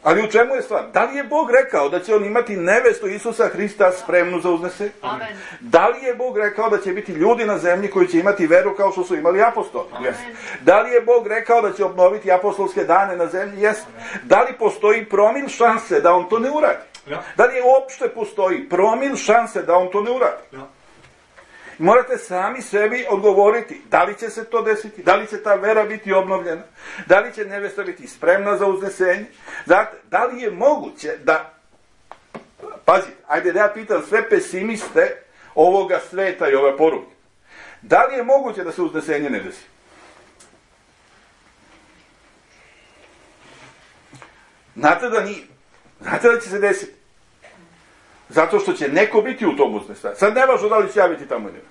Ali u čemu je stvar? Da li je Bog rekao da će on imati nevestu Isusa Hrista spremnu za uznesenje? Amen. Da li je Bog rekao da će biti ljudi na zemlji koji će imati veru kao što su imali apostoli? Yes. Da li je Bog rekao da će obnoviti apostolske dane na zemlji? Yes. Da li postoji promil šanse da on to ne uradi? Ja. Da li je uopšte postoji promil šanse da on to ne uradi? Ja. Morate sami sebi odgovoriti da li će se to desiti, da li će ta vera biti obnovljena, da li će nevesta biti spremna za uznesenje. Znate, da li je moguće da, pazite, ajde da ja pitam sve pesimiste ovoga sveta i ove poruke, da li je moguće da se uznesenje ne desi? Znate da nije. Znate da će se desiti. Zato što će neko biti u tom uznesenju. Sad ne važno da li će ja biti tamo ili ne.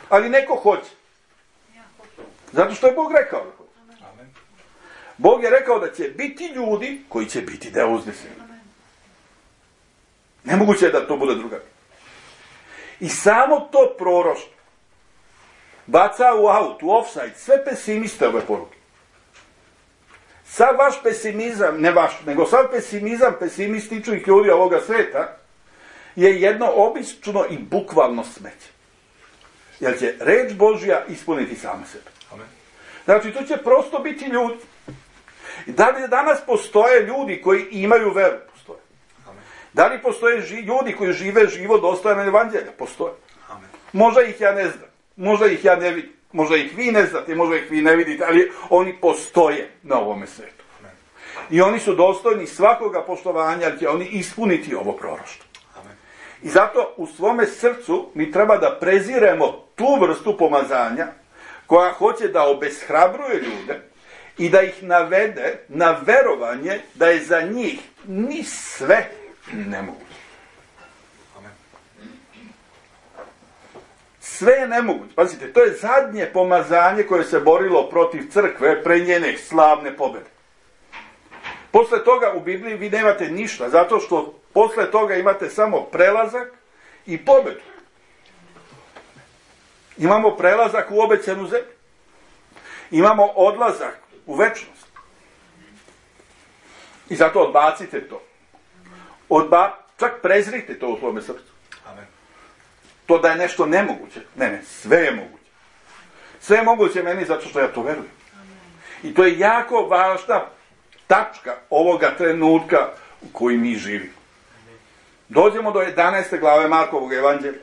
Ali neko hoće. Zato što je Bog rekao da hoće. Bog je rekao da će biti ljudi koji će biti deo uznesenja. Nemoguće je da to bude druga. I samo to proroštvo baca u aut, u offside, sve pesimiste ove poruke. Sav vaš pesimizam, ne vaš, nego sav pesimizam pesimističnih ljudi ovoga sveta je jedno obično i bukvalno smeće. Jer će reč Božja ispuniti sama sebe. Amen. Znači, to će prosto biti ljudi. I da li danas postoje ljudi koji imaju veru? Postoje. Amen. Da li postoje ži, ljudi koji žive život dostojan evanđelja? Postoje. Amen. Možda ih ja ne znam. Možda ih ja ne vidim. Možda ih vi ne znate, možda ih vi ne vidite, ali oni postoje na ovome svetu. Amen. I oni su dostojni svakoga poštovanja, jer će oni ispuniti ovo proroštvo. Amen. I zato u svome srcu mi treba da preziremo tu vrstu pomazanja koja hoće da obeshrabruje ljude i da ih navede na verovanje da je za njih ni sve nemoguće. Sve je nemoguće. Pazite, to je zadnje pomazanje koje se borilo protiv crkve pre njene slavne pobjede. Posle toga u Bibliji vi nemate ništa, zato što posle toga imate samo prelazak i pobedu. Imamo prelazak u obećanu zemlju. Imamo odlazak u večnost. I zato odbacite to. Odba, čak prezrite to u svome srcu. Amen. To da je nešto nemoguće. Ne, ne, sve je moguće. Sve je moguće meni zato što ja to verujem. Amen. I to je jako važna tačka ovoga trenutka u koji mi živimo. Dođemo do jedanaeste glave Markovog evanđelja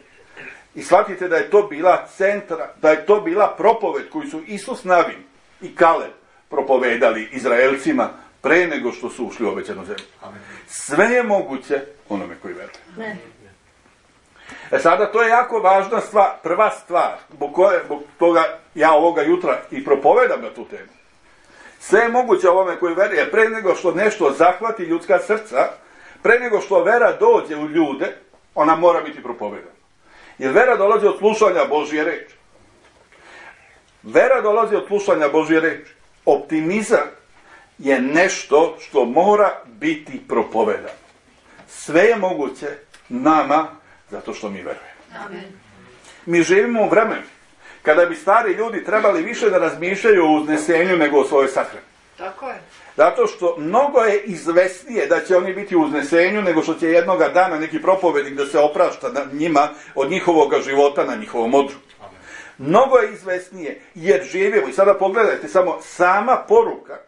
i shvatite da je to bila centra, da je to bila propoved koju su Isus Navin i Kaleb propovedali Izraelcima pre nego što su ušli u obećanu zemlju. Amen. Sve je moguće onome koji veruje. Ne. E sada, to je jako važna stvar, prva stvar, zbog koje, zbog toga ja ovoga jutra i propovedam na tu temu. Sve je moguće ovome koji veruje, pre nego što nešto zahvati ljudska srca, pre nego što vera dođe u ljude, ona mora biti propovedana. Jer vera dolazi od slušanja Božje reči. Vera dolazi od slušanja Božje reči. Optimizam je nešto što mora biti propovedano. Sve je moguće nama zato što mi verujemo. Amen. Mi živimo u vremenu kada bi stari ljudi trebali više da razmišljaju o uznesenju nego o svojoj sahrani. Tako je. Zato što mnogo je izvesnije da će oni biti u uznesenju nego što će jednoga dana neki propovednik da se oprašta na njima od njihovog života na njihovom odru. Amen. Mnogo je izvesnije jer živimo. I sada pogledajte samo sama poruka.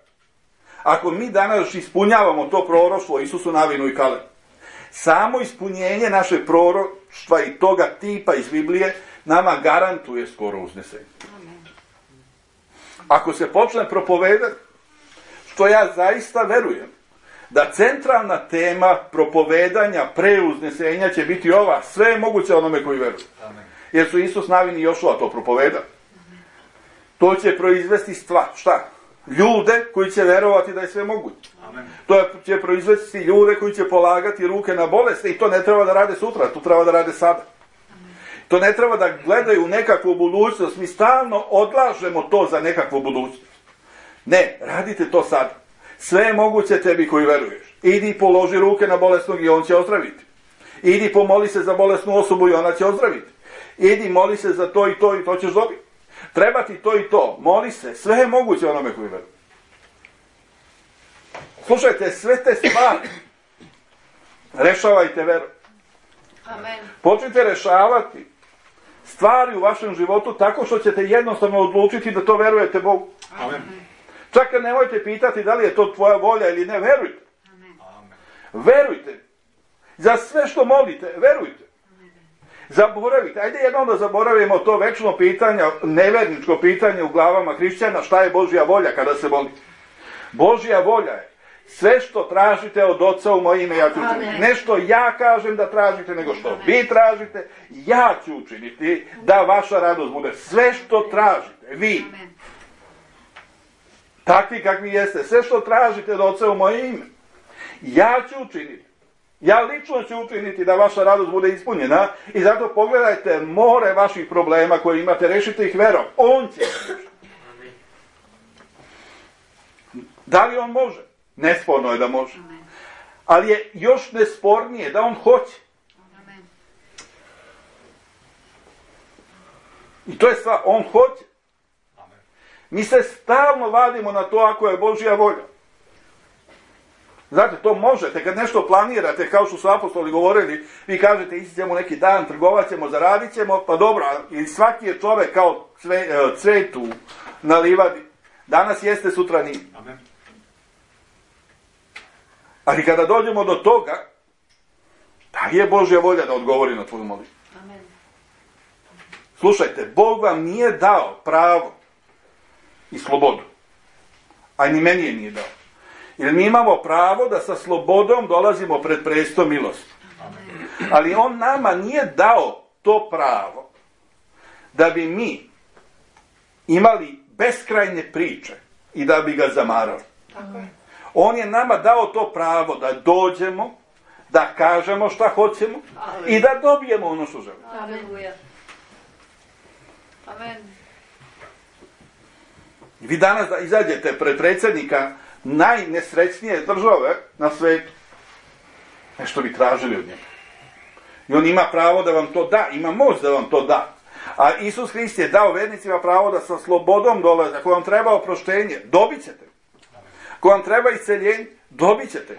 Ako mi danas ispunjavamo to proroštvo Isusu Navinu i Kalebu, samo ispunjenje naše proroštva i toga tipa iz Biblije nama garantuje skoro uznesenje. Amen. Ako se počne propovedati, što ja zaista verujem, da centralna tema propovedanja pre uznesenja će biti ova, sve je moguće onome koji veruje. Amen. Jer su Isus Navin i Jošua to propovedali. To će proizvesti stvar, šta? Ljude koji će verovati da je sve moguće. Amen. To će proizvesti ljude koji će polagati ruke na bolesti i to ne treba da rade sutra, to treba da rade sada. To ne treba da gledaju nekakvu budućnost, mi stalno odlažemo to za nekakvu budućnost. Ne, radite to sad. Sve je moguće tebi koji veruješ. Idi položi ruke na bolesnog i on će ozdraviti. Idi pomoli se za bolesnu osobu i ona će ozdraviti. Idi moli se za to i to i to ćeš dobiti. Treba ti to i to. Moli se. Sve je moguće onome koji veruje. Slušajte, sve te stvari rešavajte veru. Amen. Počnite rešavati stvari u vašem životu tako što ćete jednostavno odlučiti da to verujete Bogu. Amen. Čak nemojte pitati da li je to tvoja volja ili ne, verujte. Amen. Verujte. Za sve što molite, verujte. Zaboravite. Ajde jednom da zaboravimo to večno pitanje, neverničko pitanje u glavama hrišćana, šta je Božja volja kada se moli. Božja volja je sve što tražite od Oca u moje ime, ja ću učiniti. Ne što ja kažem da tražite, nego što vi tražite, ja ću učiniti da vaša radost bude. Sve što tražite, vi. Amen. Takvi kakvi jeste, sve što tražite od Oca u moje ime, ja ću učiniti. Ja lično ću učiniti da vaša radost bude ispunjena i zato pogledajte more vaših problema koje imate, rešite ih verom. On će rešiti. Da li on može? Nesporno je da može. Ali je još nespornije da on hoće. Amen. I to je stvar, on hoće. Amen. Mi se stalno vadimo na to ako je Božja volja. Znate, to možete, kad nešto planirate, kao što su apostoli govorili, vi kažete, ići ćemo neki dan, trgovat ćemo, zaradit ćemo, pa dobro, i svaki je čovek kao cve, cvetu na livadi. Danas jeste, sutra nije. Amen. Ali kada dođemo do toga, da li je Božja volja da odgovori na tvoju molitvu? Amen. Slušajte, Bog vam nije dao pravo i slobodu. A ni meni je nije dao. Jer mi imamo pravo da sa slobodom dolazimo pred presto milosti. Amen. Ali on nama nije dao to pravo da bi mi imali beskrajne priče i da bi ga zamarali. Tako je. On je nama dao to pravo da dođemo, da kažemo šta hoćemo i da dobijemo ono što želimo. Aleluja. Amen. Vi danas da izađete pred predsjednika najnesrećnije države na svetu. Nešto bi tražili od njega. I on ima pravo da vam to da, ima moć da vam to da. A Isus Hrist je dao vernicima pravo da sa slobodom dolaze. Ako vam treba oproštenje, dobit ćete. Ako vam treba isceljenje, dobit ćete.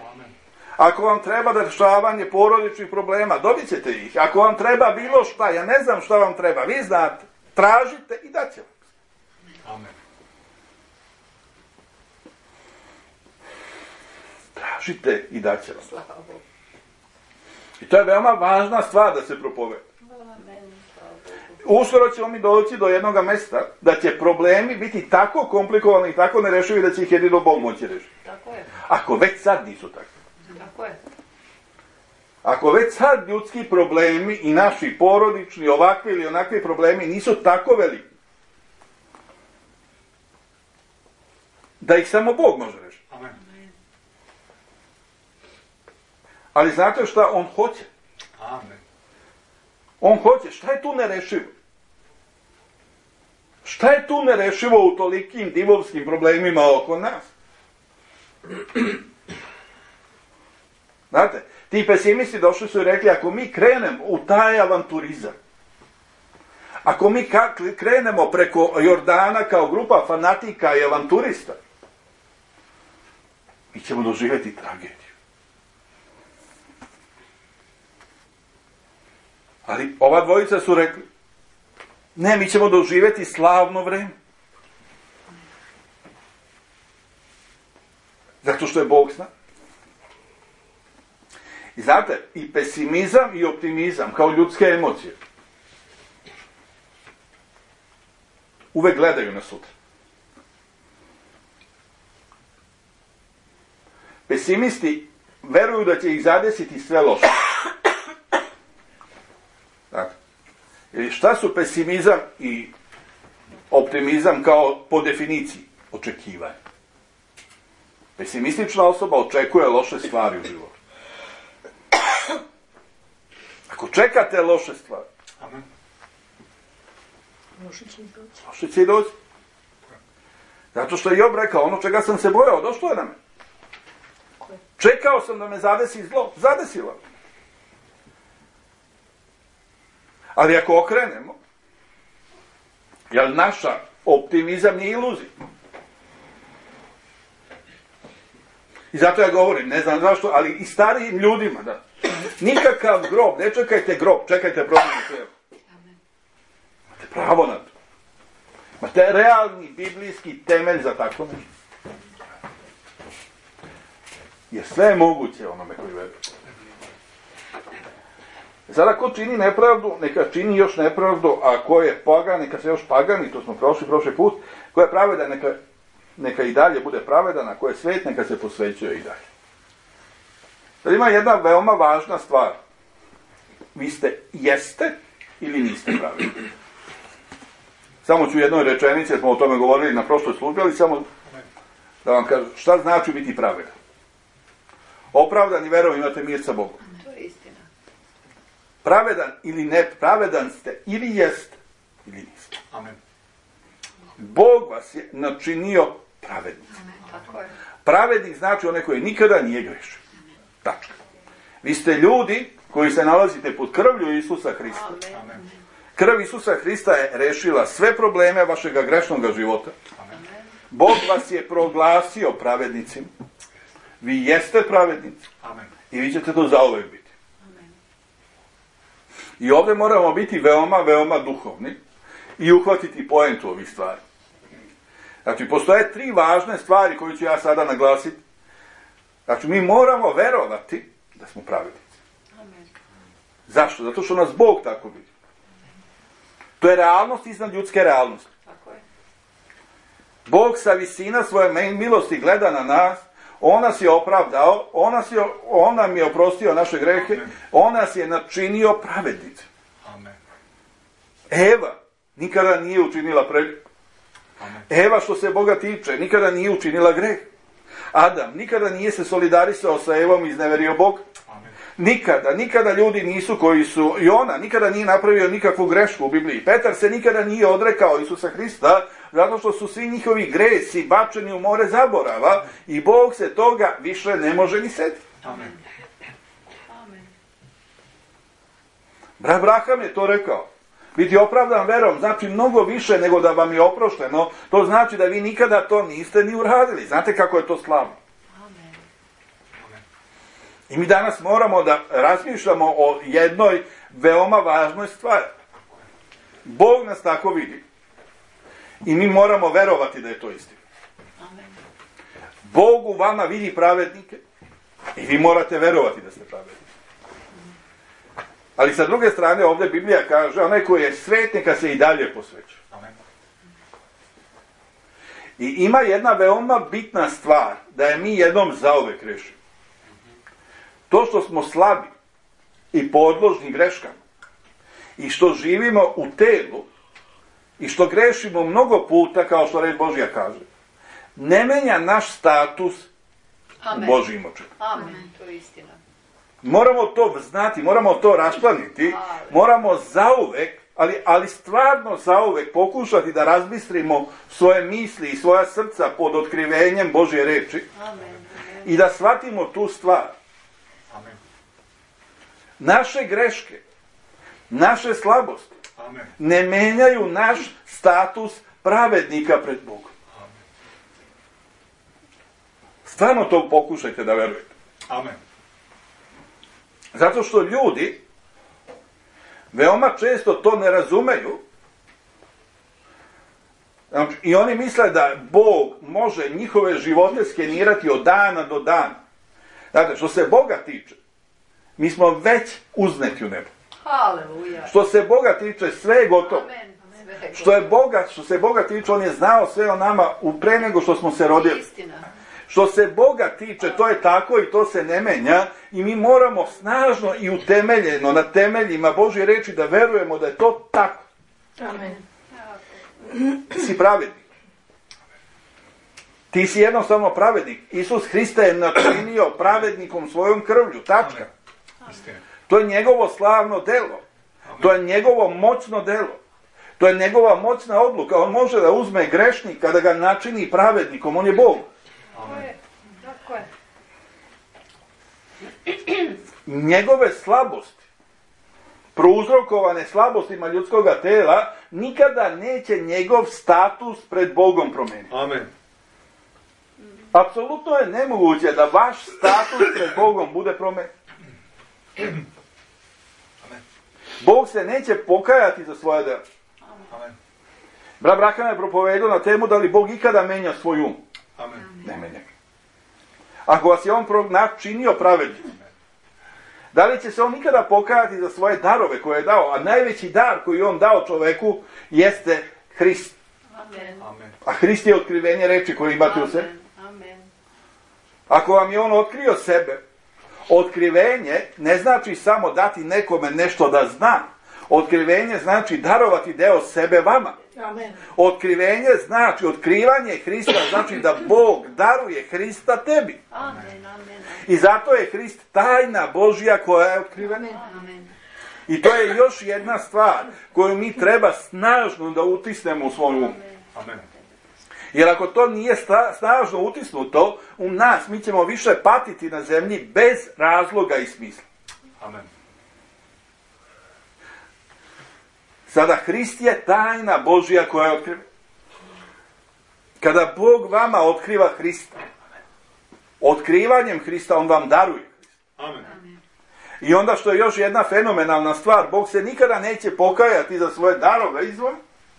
Ako vam treba rješavanje porodičnih problema, dobit ćete ih. Ako vam treba bilo šta, ja ne znam šta vam treba, vi znate, tražite i daće vam. Amen. Tražite i daće vam. I to je veoma važna stvar da se propoveda. Uskoro ćemo mi doći do jednog mjesta da će problemi biti tako komplikovani i tako nerešivi da će ih jedino Bog moći rešiti. Tako je. Ako već sad nisu takvi. Tako je. Ako već sad ljudski problemi i naši porodični, ovakvi ili onakvi problemi nisu tako veliki, da ih samo Bog može rešiti. Amen. Ali znate šta on hoće? Amen. On hoće. Šta je tu nerešivo? Šta je tu nerešivo u tolikim divovskim problemima oko nas? Znate, ti pesimisti došli su i rekli, ako mi krenemo u taj avanturizam, ako mi krenemo preko Jordana kao grupa fanatika i avanturista, mi ćemo doživjeti tragediju. Ali ova dvojica su rekli, ne, mi ćemo doživjeti slavno vrijeme. Zato što je Bog s nama. I znate, i pesimizam i optimizam, kao ljudske emocije, uvek gledaju na sutra. Pesimisti veruju da će ih zadesiti sve loše. Dakle, jer šta su pesimizam i optimizam kao po definiciji? Očekivanje. Pesimistična osoba očekuje loše stvari u životu. Ako čekate loše stvari, Amen. Loše će i doći. loše će i doći. Zato što je Job rekao, ono čega sam se bojao, došlo je na me. Čekao sam da me zadesi zlo, zadesilo. Ali ako okrenemo, jer naša optimizam nije iluzija. I zato ja govorim, ne znam zašto, ali i starijim ljudima, da. Nikakav grob, ne čekajte grob, čekajte promjenu hljeba. Imate pravo na to. Imate realni biblijski temelj za tako nešto. Jer sve je moguće onome koji veruje. Sada ko čini nepravdu, neka čini još nepravdu, a ko je pagan, neka se još pagani, to smo prošli prošli put, ko je pravedan, neka, neka i dalje bude pravedan, a ko je svet, neka se posvećuje i dalje. Sad ima jedna veoma važna stvar. Vi ste, jeste ili niste pravedni? Samo ću u jednoj rečenici, jer smo o tome govorili na prošloj službi, ali samo da vam kažem, šta znači biti pravedan? Opravdan i verom imate mir sa Bogom. To je istina. Pravedan ili ne, pravedan ste ili jeste ili niste. Amen. Bog vas je načinio pravednicima. Tako je. Pravednik znači onaj koji nikada nije grešio. Tačka. Vi ste ljudi koji se nalazite pod krvlju Isusa Hrista. Amen. Krv Isusa Hrista je rešila sve probleme vašega grešnog života. Amen. Bog vas je proglasio pravednicima. Vi jeste pravednici. Amen. I vi ćete to zauvek biti. Amen. I ovdje moramo biti veoma, veoma duhovni i uhvatiti poentu ovih stvari. Znači, postoje tri važne stvari koje ću ja sada naglasiti. Znači, mi moramo verovati da smo pravednici. Amen. Zašto? Zato što nas Bog tako vidi. To je realnost iznad ljudske realnosti. Tako je. Bog sa visina svoje milosti gleda na nas, on nas je opravdao, on, nas je, on nam je oprostio naše grehe, on nas je načinio pravednice. Amen. Eva nikada nije učinila pre... Amen. Eva, što se Boga tiče, nikada nije učinila greh. Adam nikada nije se solidarisao sa Evom i izneverio Bog. Amen. Nikada, nikada ljudi nisu koji su, i ona nikada nije napravio nikakvu grešku u Bibliji. Petar se nikada nije odrekao Isusa Hrista, zato što su svi njihovi gresi bačeni u more zaborava i Bog se toga više ne može ni setiti. Amen. Abraham je to rekao. Biti opravdan verom znači mnogo više nego da vam je oprošteno. To znači da vi nikada to niste ni uradili. Znate kako je to slavno? Amen. I mi danas moramo da razmišljamo o jednoj veoma važnoj stvari. Bog nas tako vidi. I mi moramo verovati da je to istina. Amen. Bog u vama vidi pravednike i vi morate verovati da ste pravedni. Ali sa druge strane ovdje Biblija kaže, onaj koji je svet neka se i dalje posveća. Amen. I ima jedna veoma bitna stvar, da je mi jednom zauvek rešimo. To što smo slabi i podložni greškama i što živimo u telu i što grešimo mnogo puta, kao što reč Božja kaže, ne menja naš status Amen. u Božjim očima. Amen. To je istina. Moramo to znati, moramo to raščlaniti, moramo zauvek, ali, ali stvarno zauvek pokušati da razbistrimo svoje misli i svoja srca pod otkrivenjem Božje reči Amen. i da shvatimo tu stvar. Amen. Naše greške, naše slabosti Amen. ne menjaju naš status pravednika pred Bogom. Amen. Stvarno to pokušajte da verujete. Amen. Zato što ljudi veoma često to ne razumeju. Znači, i oni misle da Bog može njihove živote skenirati od dana do dana. Znate, što se Boga tiče, mi smo već uzneti u nebo. Haleluja. Što se Boga tiče, sve je gotovo. Amen. Sve je Što je Boga, što se Boga tiče, on je znao sve o nama u pre nego što smo se rodili. istina. Što se Boga tiče, to je tako i to se ne menja i mi moramo snažno i utemeljeno na temeljima Božje reči da verujemo da je to tako. Amen. Ti si pravednik. Ti si jednostavno pravednik. Isus Hrista je načinio pravednikom svojom krvlju. Tačka. Istina. To je njegovo slavno delo. To je njegovo moćno delo. To je njegova moćna odluka. On može da uzme grešnika, da ga načini pravednikom. On je Bog. Tako je. Tako je. Njegove slabosti, prouzrokovane slabostima ljudskoga tela, nikada neće njegov status pred Bogom promeniti. Amen. Apsolutno je nemoguće da vaš status pred Bogom bude promenjen. Bog se neće pokajati za svoje delo. Amen. Brat Braham je propovedao na temu da li Bog ikada menja svoj um. Amen. Ne menja. Ako vas je on načinio pravednim, da li će se on nikada pokajati za svoje darove koje je dao? A najveći dar koji je on dao čoveku jeste Hrist. Amen. Amen. A Hrist je otkrivenje reči koje imate u sebi. Amen. Amen. Ako vam je on otkrio sebe, otkrivenje ne znači samo dati nekome nešto da zna. Otkrivenje znači darovati deo sebe vama. Amen. Otkrivenje znači, otkrivanje Hrista znači da Bog daruje Hrista tebi. Amen. Amen. I zato je Hrist tajna Božja koja je otkrivena. Amen. I to je još jedna stvar koju mi treba snažno da utisnemo u svoj um. Amen. Jer ako to nije sta- snažno utisnuto u nas, mi ćemo više patiti na zemlji bez razloga i smisla. Amen. Sada, Hrist je tajna Božja koja je otkrivena. Kada Bog vama otkriva Hrista, otkrivanjem Hrista on vam daruje Hrista. Amen. I onda što je još jedna fenomenalna stvar, Bog se nikada neće pokajati za svoje darove izvora.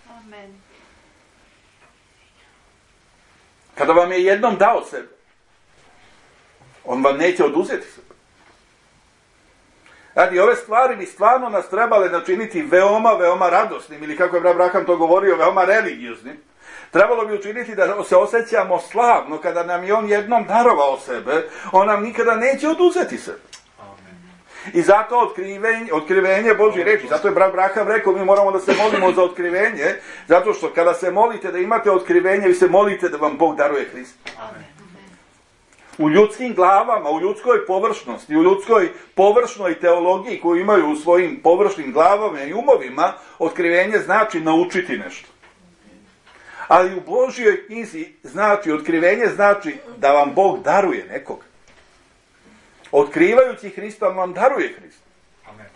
Amen. Kada vam je jednom dao sebe, on vam neće oduzeti sebe. Znači, ove stvari bi stvarno nas trebale načiniti veoma, veoma radosnim, ili kako je brat Braham to govorio, veoma religioznim. Trebalo bi učiniti da se osjećamo slavno kada nam je on jednom darovao sebe, on nam nikada neće oduzeti sebe. Amen. I zato otkrivenje, otkrivenje Božje reči, zato je brat Braham rekao, mi moramo da se molimo za otkrivenje, zato što kada se molite da imate otkrivenje, vi se molite da vam Bog daruje Hrista. Amen. U ljudskim glavama, u ljudskoj površnosti, u ljudskoj površnoj teologiji koju imaju u svojim površnim glavama i umovima, otkrivenje znači naučiti nešto. Ali u Božjoj knjizi znači, otkrivenje znači da vam Bog daruje nekog. Otkrivajući Hrista, on vam daruje Hrista. Amen.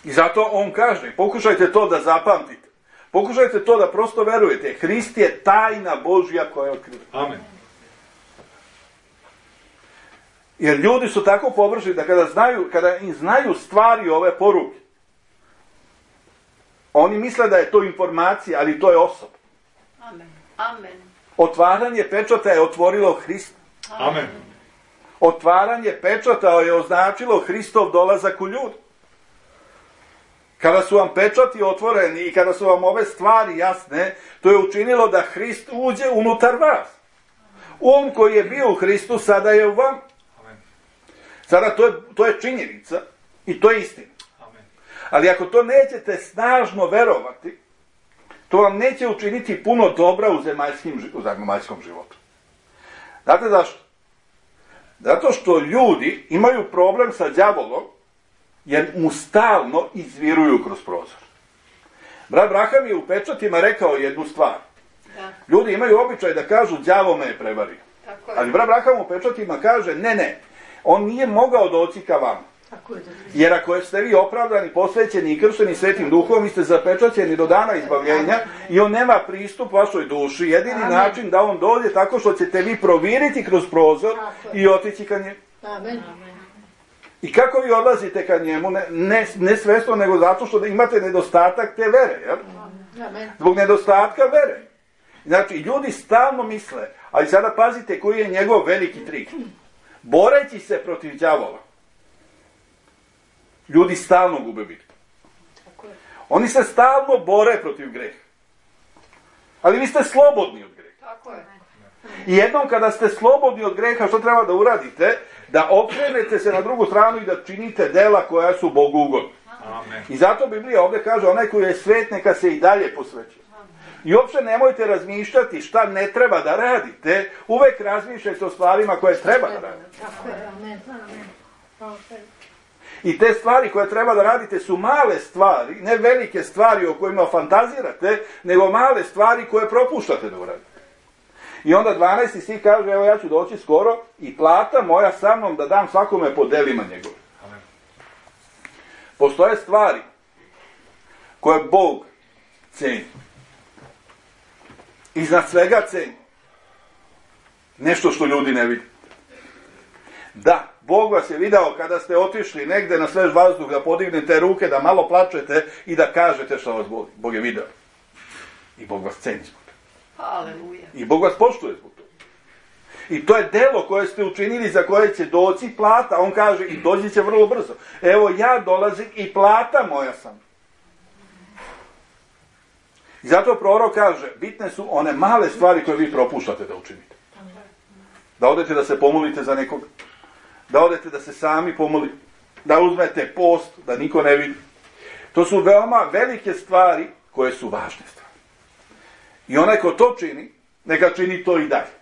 I zato on kaže, pokušajte to da zapamtite. Pokušajte to da prosto verujete. Hrist je tajna Božja koja je otkriva. Amen. Jer ljudi su tako površni da kada znaju, kada im znaju stvari ove poruke, oni misle da je to informacija, ali to je osoba. Amen. Amen. Otvaranje pečata je otvorilo Hrista. Amen. Otvaranje pečata je označilo Hristov dolazak u ljudi. Kada su vam pečati otvoreni i kada su vam ove stvari jasne, to je učinilo da Hrist uđe unutar vas. Um koji je bio u Hristu sada je u vam. Sada to je, to je činjenica i to je istina. Amen. Ali ako to nećete snažno verovati, to vam neće učiniti puno dobra u zemaljskim, u zemaljskom životu. Znate zašto? Zato što ljudi imaju problem sa đavolom, jer mu stalno izviruju kroz prozor. Brat Braham je u pečatima rekao jednu stvar. Da. Ljudi imaju običaj da kažu đavo me je prevario. Tako je. Ali brat Braham u pečatima kaže ne, ne, on nije mogao doći ka vama. Tako je. Jer ako ste vi opravdani, posvećeni i kršteni Svetim Duhom, vi ste zapečaćeni do dana izbavljenja i on nema pristup vašoj duši. Jedini Amen. Način da on dođe tako što ćete vi proviriti kroz prozor i otići ka njemu. Amen. I kako vi odlazite ka njemu? Ne, ne, ne svesno, nego zato što imate nedostatak te vere. Jel? Amen. Zbog nedostatka vere. Znači, ljudi stalno misle, ali sada pazite koji je njegov veliki trik. Boreći se protiv đavola, ljudi stalno gube bitku. Oni se stalno bore protiv greha. Ali vi ste slobodni od greha. Tako je. I jednom kada ste slobodni od greha, što treba da uradite? Da okrenete se na drugu stranu i da činite dela koja su Bogu ugodna. Amen. I zato Biblija ovdje kaže, onaj koji je svet, neka se i dalje posvećuje. I uopće nemojte razmišljati šta ne treba da radite, uvek razmišljajte o stvarima koje treba da radite. Tako je. Amen. Amen. I te stvari koje treba da radite su male stvari, ne velike stvari o kojima fantazirate, nego male stvari koje propuštate da uradite. I onda dvanaesti stih kaže, evo ja ću doći skoro i plata moja sa mnom da dam svakome po delima njegove. Amen. Postoje stvari koje Bog ceni. Iznad svega ceni. Nešto što ljudi ne vide. Da, Bog vas je video kada ste otišli negde na svež vazduh da podignete ruke, da malo plačete i da kažete što vas boli. Bog je video. I Bog vas ceni zbog toga. Haleluja. I Bog vas poštuje zbog toga. I to je delo koje ste učinili za koje će doći plata. On kaže i doći će vrlo brzo. Evo ja dolazim i plata moja sam. I zato prorok kaže, bitne su one male stvari koje vi propuštate da učinite. Da odete da se pomolite za nekoga. Da odete da se sami pomolite. Da uzmete post, da niko ne vidi. To su veoma velike stvari koje su važne stvari. I onaj ko to čini, neka čini to i dalje.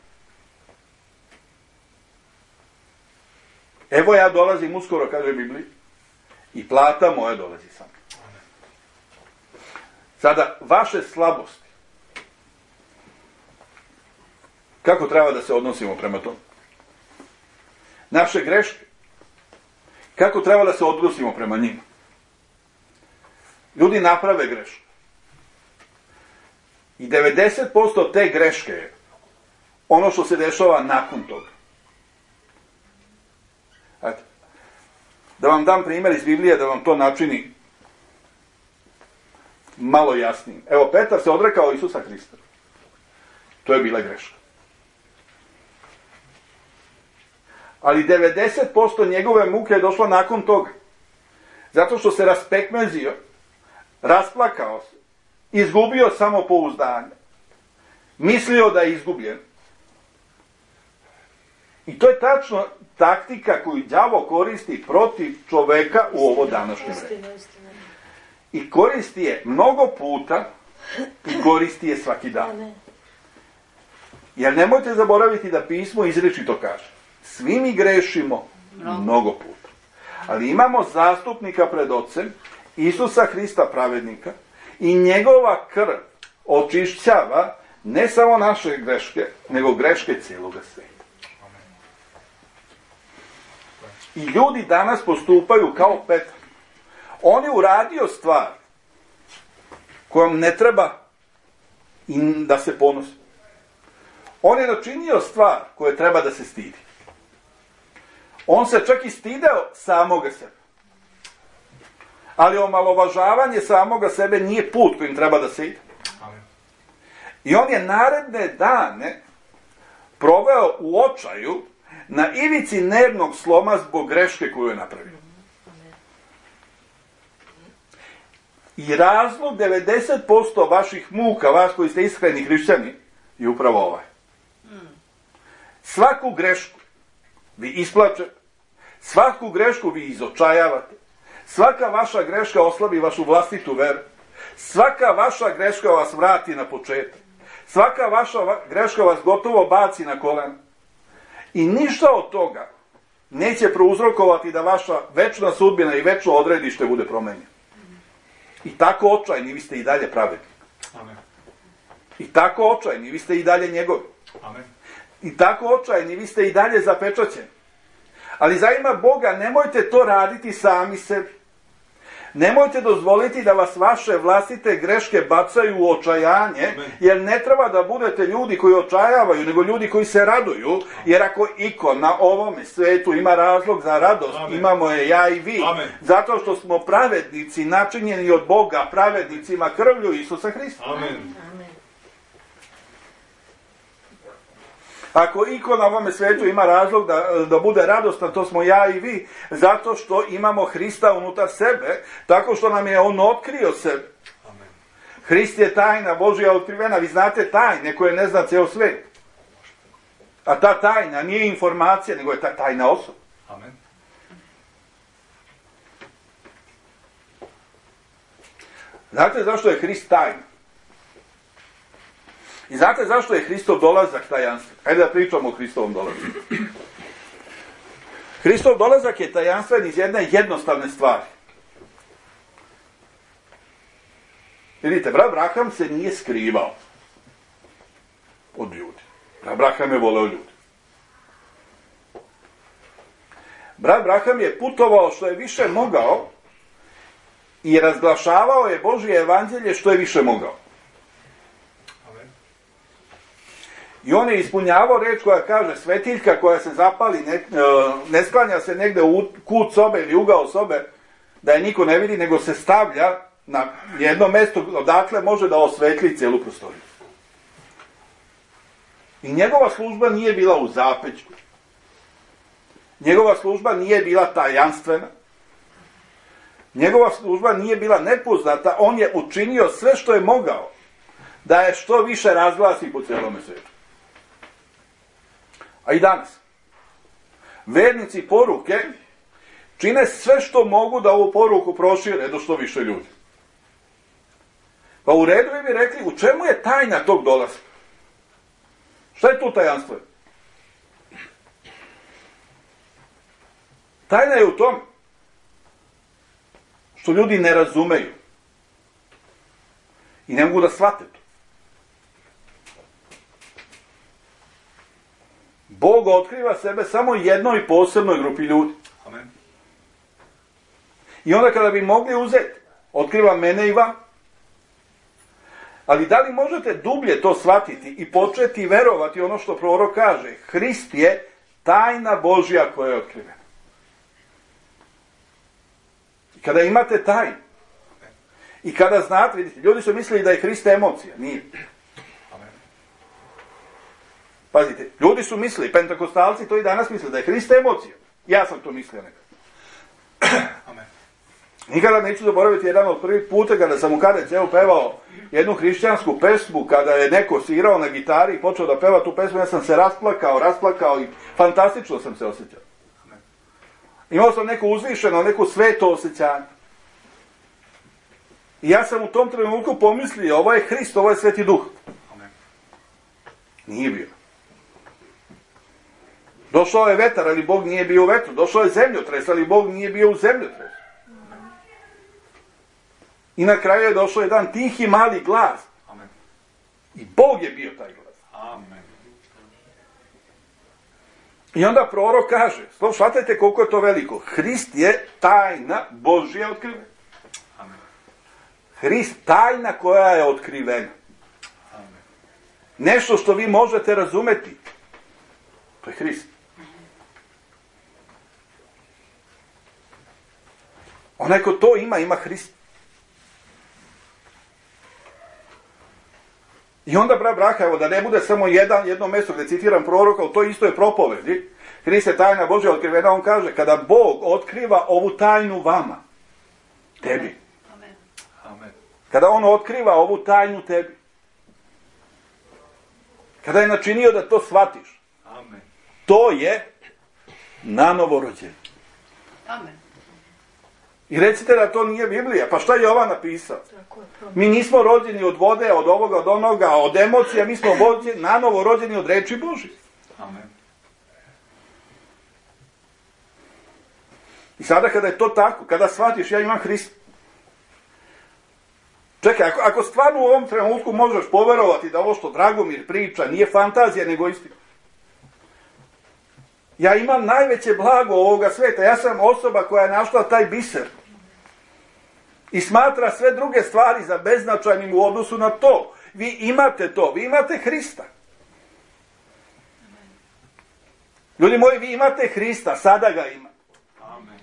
Evo ja dolazim uskoro, kaže Biblija, i plata moja dolazi sam. Sada, vaše slabosti. Kako treba da se odnosimo prema tomu? Naše greške. Kako treba da se odnosimo prema njima? Ljudi naprave grešku. I devedeset posto te greške je ono što se dešava nakon toga. Ajde. Da vam dam primjer iz Biblije, da vam to načini malo jasnijim. Evo, Petar se odrekao Isusa Hrista. To je bila greška. Ali devedeset posto njegove muke je došlo nakon toga. Zato što se raspekmezio, rasplakao se, izgubio samopouzdanje, mislio da je izgubljen. I to je tačno taktika koju đavo koristi protiv čoveka u ovo današnje vreme. I koristi je mnogo puta i koristi je svaki dan. Jer nemojte zaboraviti da pismo izričito kaže. Svi mi grešimo mnogo puta. Ali imamo zastupnika pred Ocem, Isusa Hrista pravednika, i njegova krv očišćava ne samo naše greške, nego greške cijeloga sveta. I ljudi danas postupaju kao Petar. On je uradio stvar kojom ne treba da se ponosi. On je načinio stvar koje treba da se stidi. On se čak i stideo samoga sebe. Ali omalovažavanje samoga sebe nije put kojim treba da se ide. I on je naredne dane proveo u očaju na ivici nervnog sloma zbog greške koju je napravio. I razlog devedeset posto vaših muka, vas koji ste iskreni hrišćani, je upravo ovaj. Svaku grešku vi isplačete, svaku grešku vi izočajavate, svaka vaša greška oslabi vašu vlastitu veru, svaka vaša greška vas vrati na početak, svaka vaša greška vas gotovo baci na kolena. I ništa od toga neće prouzrokovati da vaša večna sudbina i večno odredište bude promenjeno. I tako očajni vi ste i dalje pravedni. Amen. I tako očajni vi ste i dalje njegovi. Amen. I tako očajni vi ste i dalje zapečaćeni. Ali za ime Boga nemojte to raditi sami sebi. Nemojte dozvoliti da vas vaše vlastite greške bacaju u očajanje, Amen. Jer ne treba da budete ljudi koji očajavaju, nego ljudi koji se raduju, jer ako iko na ovome svetu ima razlog za radost, Amen. Imamo je ja i vi. Amen. Zato što smo pravednici, načinjeni od Boga, pravednicima krvlju Isusa Hrista. Amen. Ako iko na ovome svetu ima razlog da, da bude radostan, to smo ja i vi, zato što imamo Hrista unutar sebe, tako što nam je on otkrio sebe. Amen. Hrist je tajna Božja otkrivena, vi znate tajne koje ne zna ceo svet. A ta tajna nije informacija, nego je ta tajna osoba. Amen. Znate zašto je Hrist tajna? I znate zašto je Hristov dolazak tajanstven? Hajde da pričamo o Hristovom dolazku. Hristov dolazak je tajanstven iz jedne jednostavne stvari. Vidite, brat Abraham se nije skrivao od ljudi. Brat Abraham je voleo ljudi. Brat Abraham je putovao što je više mogao i razglašavao je Božje evanđelje što je više mogao. I on je ispunjavao reč koja kaže svetiljka koja se zapali, ne, ne sklanja se negde u kut sobe ili ugao sobe da je niko ne vidi, nego se stavlja na jedno mesto odakle može da osvetli celu prostoriju. I njegova služba nije bila u zapećku. Njegova služba nije bila tajanstvena. Njegova služba nije bila nepoznata. On je učinio sve što je mogao da je što više razglasi po celome svetu. A i danas, vernici poruke čine sve što mogu da ovu poruku prošire do što više ljudi. Pa u redu bi rekli, u čemu je tajna tog dolaska? Šta je tu tajanstvo? Tajna je u tom što ljudi ne razumeju i ne mogu da shvate to. Bog otkriva sebe samo jednoj posebnoj grupi ljudi. Amen. I onda kada bi mogli uzeti, otkriva mene i vam. Ali da li možete dublje to shvatiti i početi verovati ono što prorok kaže? Hrist je tajna Božja koja je otkrivena. I kada imate tajnu, i kada znate, vidite, ljudi su mislili da je Hrist emocija. Nije. Pazite, ljudi su mislili, pentakostalci to i danas misle, da je Hrist emocija. Ja sam to mislio nekad. Amen. Nikada neću zaboraviti jedan od prvih puta kada sam u K D C-u pevao jednu hrišćansku pesmu, kada je neko svirao na gitari i počeo da peva tu pesmu, ja sam se rasplakao, rasplakao i fantastično sam se osjećao. Amen. Imao sam neko uzvišeno, neko sveto osjećanje. I ja sam u tom trenutku pomislio, ovo je Hrist, ovo je Sveti Duh. Amen. Nije bio. Došao je vetar, ali Bog nije bio u vetru. Došao je zemljotres, ali Bog nije bio u zemljotresu. I na kraju je došao jedan tihi mali glas. Amen. I Bog je bio taj glas. Amen. I onda prorok kaže, shvatajte koliko je to veliko. Hrist je tajna Božja otkrivena. Hrist, tajna koja je otkrivena. Amen. Nešto što vi možete razumeti. To je Hrist. Onaj ko to ima, ima Hrist. I onda, bra, braha, evo, da ne bude samo jedan, jedno mjesto gdje citiram proroka, ali to isto je propovedi. Hrist je tajna Božja otkrivena, on kaže, kada Bog otkriva ovu tajnu vama, tebi. Amen. Amen. Kada on otkriva ovu tajnu tebi. Kada je načinio da to shvatiš. Amen. To je nanovo rođenje. Amen. I recite da to nije Biblija. Pa šta je Jovan napisao? Tako je to. Mi nismo rođeni od vode, od ovoga, od onoga, od emocija. Mi smo rođeni, nanovo rođeni od reči Božje. Amen. I sada kada je to tako, kada shvatiš ja imam Hrista. Čekaj, ako, ako stvarno u ovom trenutku možeš poverovati da ovo što Dragomir priča nije fantazija nego istina. Ja imam najveće blago ovoga sveta. Ja sam osoba koja je našla taj biser. I smatra sve druge stvari za beznačajnim u odnosu na to. Vi imate to. Vi imate Hrista. Ljudi moji, vi imate Hrista. Sada ga ima. Amen.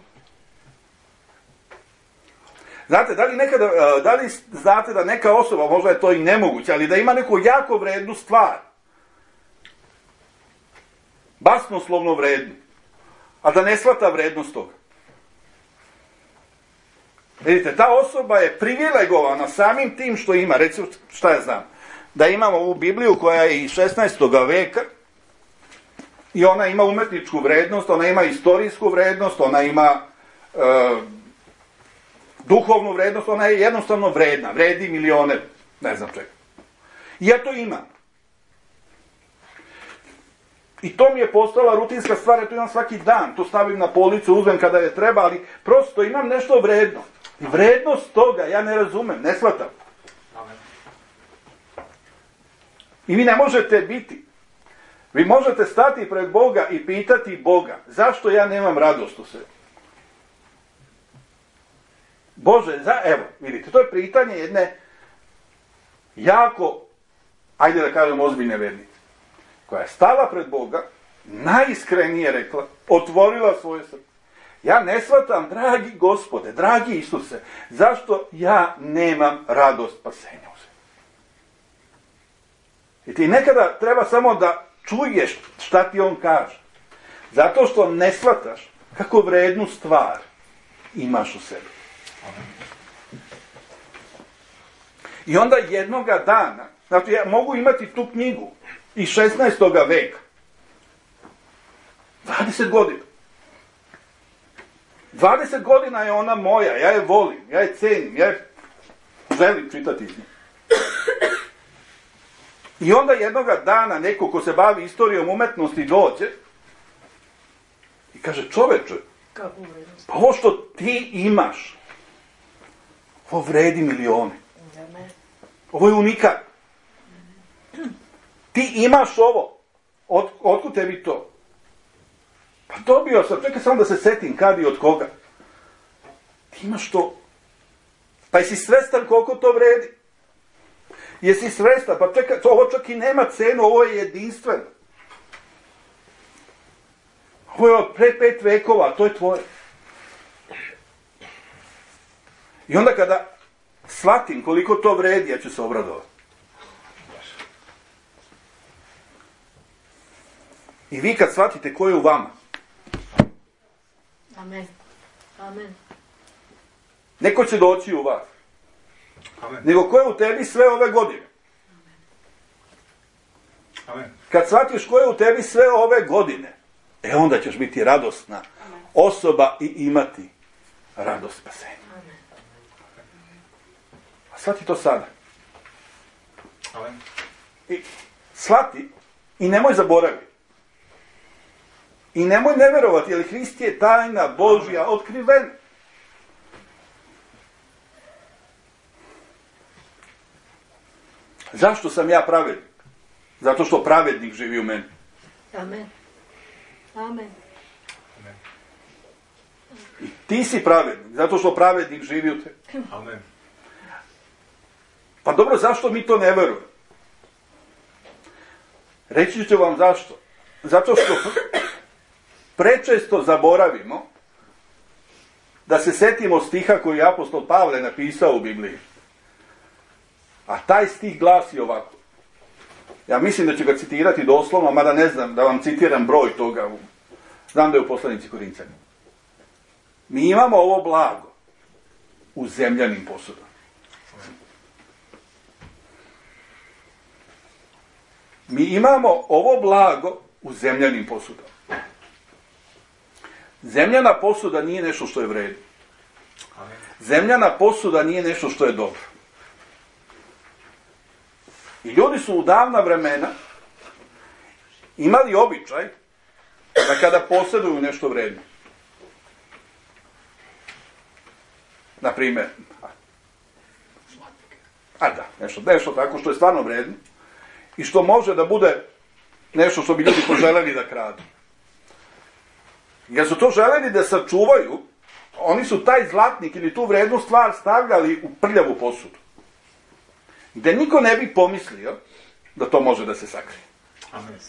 Znate, da li, nekada, da li znate da neka osoba, možda je to i nemoguće, ali da ima neku jako vrednu stvar. Basnoslovno vrednu. A da ne shvata vrednost toga. Vidite, ta osoba je privilegovana samim tim što ima. Recimo, šta ja znam, da imamo ovu Bibliju koja je iz šesnaestog veka i ona ima umetničku vrednost, ona ima istorijsku vrednost, ona ima e, duhovnu vrednost, ona je jednostavno vredna, vredi milijone, ne znam čega. I ja to imam. I to mi je postala rutinska stvar, ja to imam svaki dan, to stavim na policu, uzmem kada je treba, ali prosto imam nešto vredno. I vrednost toga ja ne razumem, ne shvatam. Amen. I vi ne možete biti. Vi možete stati pred Boga i pitati Boga, zašto ja nemam radost u sebi? Bože, za, evo, vidite, to je pitanje jedne jako, ajde da kažem, ozbiljne vernice, koja je stala pred Boga, najiskrenije rekla, otvorila svoje srce. Ja ne shvatam, dragi Gospode, dragi Isuse, zašto ja nemam radost spasenja u sebi. I ti nekada treba samo da čuješ šta ti on kaže. Zato što ne shvataš kako vrednu stvar imaš u sebi. I onda jednoga dana, znači ja mogu imati tu knjigu iz šesnaestog veka. dvadeset godina. dvadeset godina je ona moja, ja je volim, ja je cenim, ja je želim čitati iz nje. I onda jednoga dana neko ko se bavi istorijom umetnosti dođe i kaže, čoveče, pa ovo što ti imaš, ovo vredi milione. Ovo je unikat. Ti imaš ovo. Od, otkud tebi to? Pa dobio sam, čekaj samo da se setim kad i od koga. Ti imaš to. Pa jesi svestan koliko to vredi? Jesi svestan? Pa čekaj, to, ovo čak i nema cenu, ovo je jedinstveno. Ovo je od pre pet vekova, to je tvoje. I onda kada shvatim koliko to vredi, ja ću se obradovati. I vi kad shvatite ko je u vama. Amen. Amen. Neko će doći u vas. Amen. Nego ko je u tebi sve ove godine. Amen. Kad shvatiš ko je u tebi sve ove godine, e onda ćeš biti radosna osoba i imati radost spasenja. A shvati to sada. Amen. I shvati i nemoj zaboraviti. I nemoj ne verovati, jer Hrist je tajna Božja otkrivena. Zašto sam ja pravednik? Zato što pravednik živi u meni. Amen. Amen. I ti si pravednik, zato što pravednik živi u tebi. Amen. Pa dobro, zašto mi to ne verujemo? Reći ću vam zašto. Zato što prečesto zaboravimo da se setimo stiha koji je apostol Pavle napisao u Bibliji. A taj stih glasi ovako. Ja mislim da ću ga citirati doslovno, mada ne znam da vam citiram broj toga. Znam da je u poslanici Korinćanima. Mi imamo ovo blago u zemljanim posudama. Mi imamo ovo blago u zemljanim posudama. Zemljana posuda nije nešto što je vredno. Zemljana posuda nije nešto što je dobro. I ljudi su u davna vremena imali običaj da kada posjeduju nešto vredno, na primjer, a da, nešto, nešto tako što je stvarno vredno i što može da bude nešto što bi ljudi poželjeli da kradu. Jer su to želeli da sačuvaju, oni su taj zlatnik ili tu vrednu stvar stavljali u prljavu posudu, gde niko ne bi pomislio da to može da se sakrije. Amen.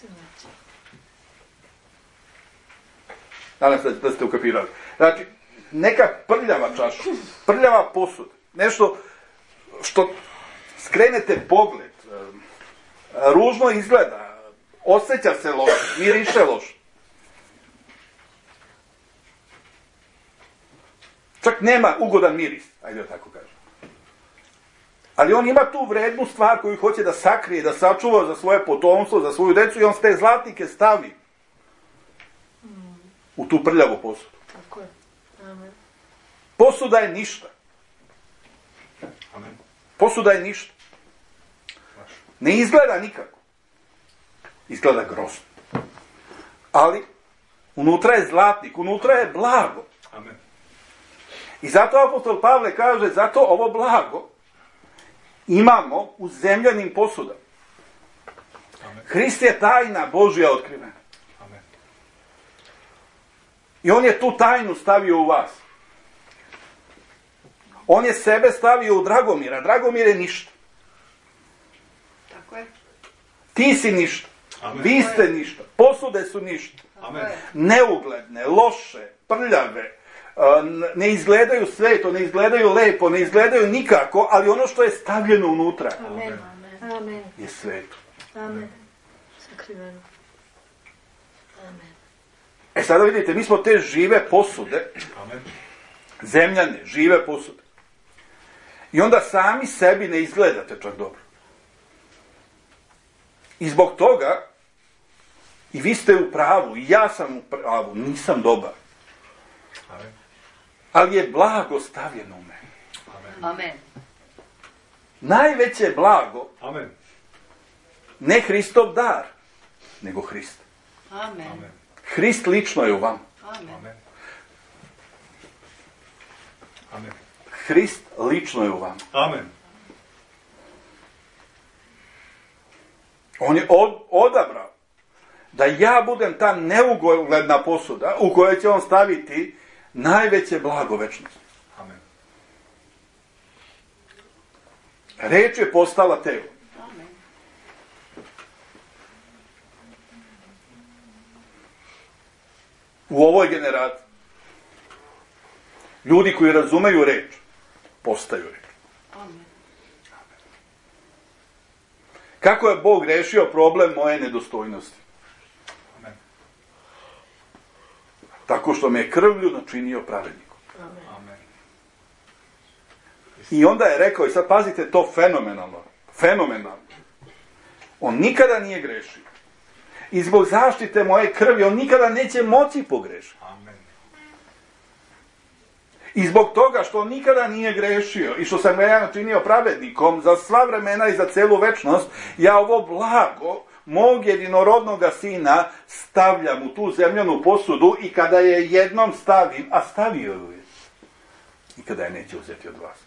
Nadam se da ste ukapirali. Znači, neka prljava čaša, prljava posuda, nešto što skrenete pogled, ružno izgleda, osjeća se loše, miriše loše. Čak nema ugodan miris, ajde da tako kažem. Ali on ima tu vrednu stvar koju hoće da sakrije, da sačuva za svoje potomstvo, za svoju decu i on te zlatnike stavi u tu prljavu posudu. Tako je. Amen. Posuda je ništa. Amen. Posuda je ništa. Ne izgleda nikako. Izgleda grozno. Ali unutra je zlatnik, unutra je blago. Amen. I zato apostol Pavle kaže, zato ovo blago imamo u zemljanim posudama. Amen. Hrist je tajna Božja otkrivena. Amen. I on je tu tajnu stavio u vas. On je sebe stavio u Dragomira. Dragomir je ništa. Tako je. Ti si ništa. Amen. Vi ste ništa. Posude su ništa. Amen. Neugledne, loše, prljave, ne izgledaju sveto, ne izgledaju lepo, ne izgledaju nikako, ali ono što je stavljeno unutra Amen. Amen. je sveto. Amen. Sakriveno. Amen. E sada vidite, mi smo te žive posude, Amen. zemljane, žive posude. I onda sami sebi ne izgledate čak dobro. I zbog toga, i vi ste u pravu, i ja sam u pravu, nisam dobar. Amen. Ali je blago stavljeno u mene. Amen. Amen. Najveće blago, Amen. ne Hristov dar, nego Hrist. Amen. Amen. Hrist lično je u vam. Amen. Amen. Amen. Hrist lično je u vam. Amen. On je od, odabrao da ja budem ta neugledna posuda u kojoj će on staviti najveće blago večnosti. Amen. Reč je postala telo. Amen. U ovoj generaciji ljudi koji razumeju reč postaju reč. Amen. Kako je Bog rešio problem moje nedostojnosti? Amen. Tako što me je krvlju načinio pravednikom. Amen. Amen. I onda je rekao, i sad pazite to fenomenalno, fenomenalno. On nikada nije grešio. I zbog zaštite moje krvi, on nikada neće moći pogrešiti. Amen. I zbog toga što on nikada nije grešio i što sam ga ja načinio pravednikom za sva vremena i za celu večnost, ja ovo blago mog jedinorodnoga sina stavljam u tu zemljanu posudu i kada je jednom stavim, a stavio ju je, nikada je neće uzeti od vas.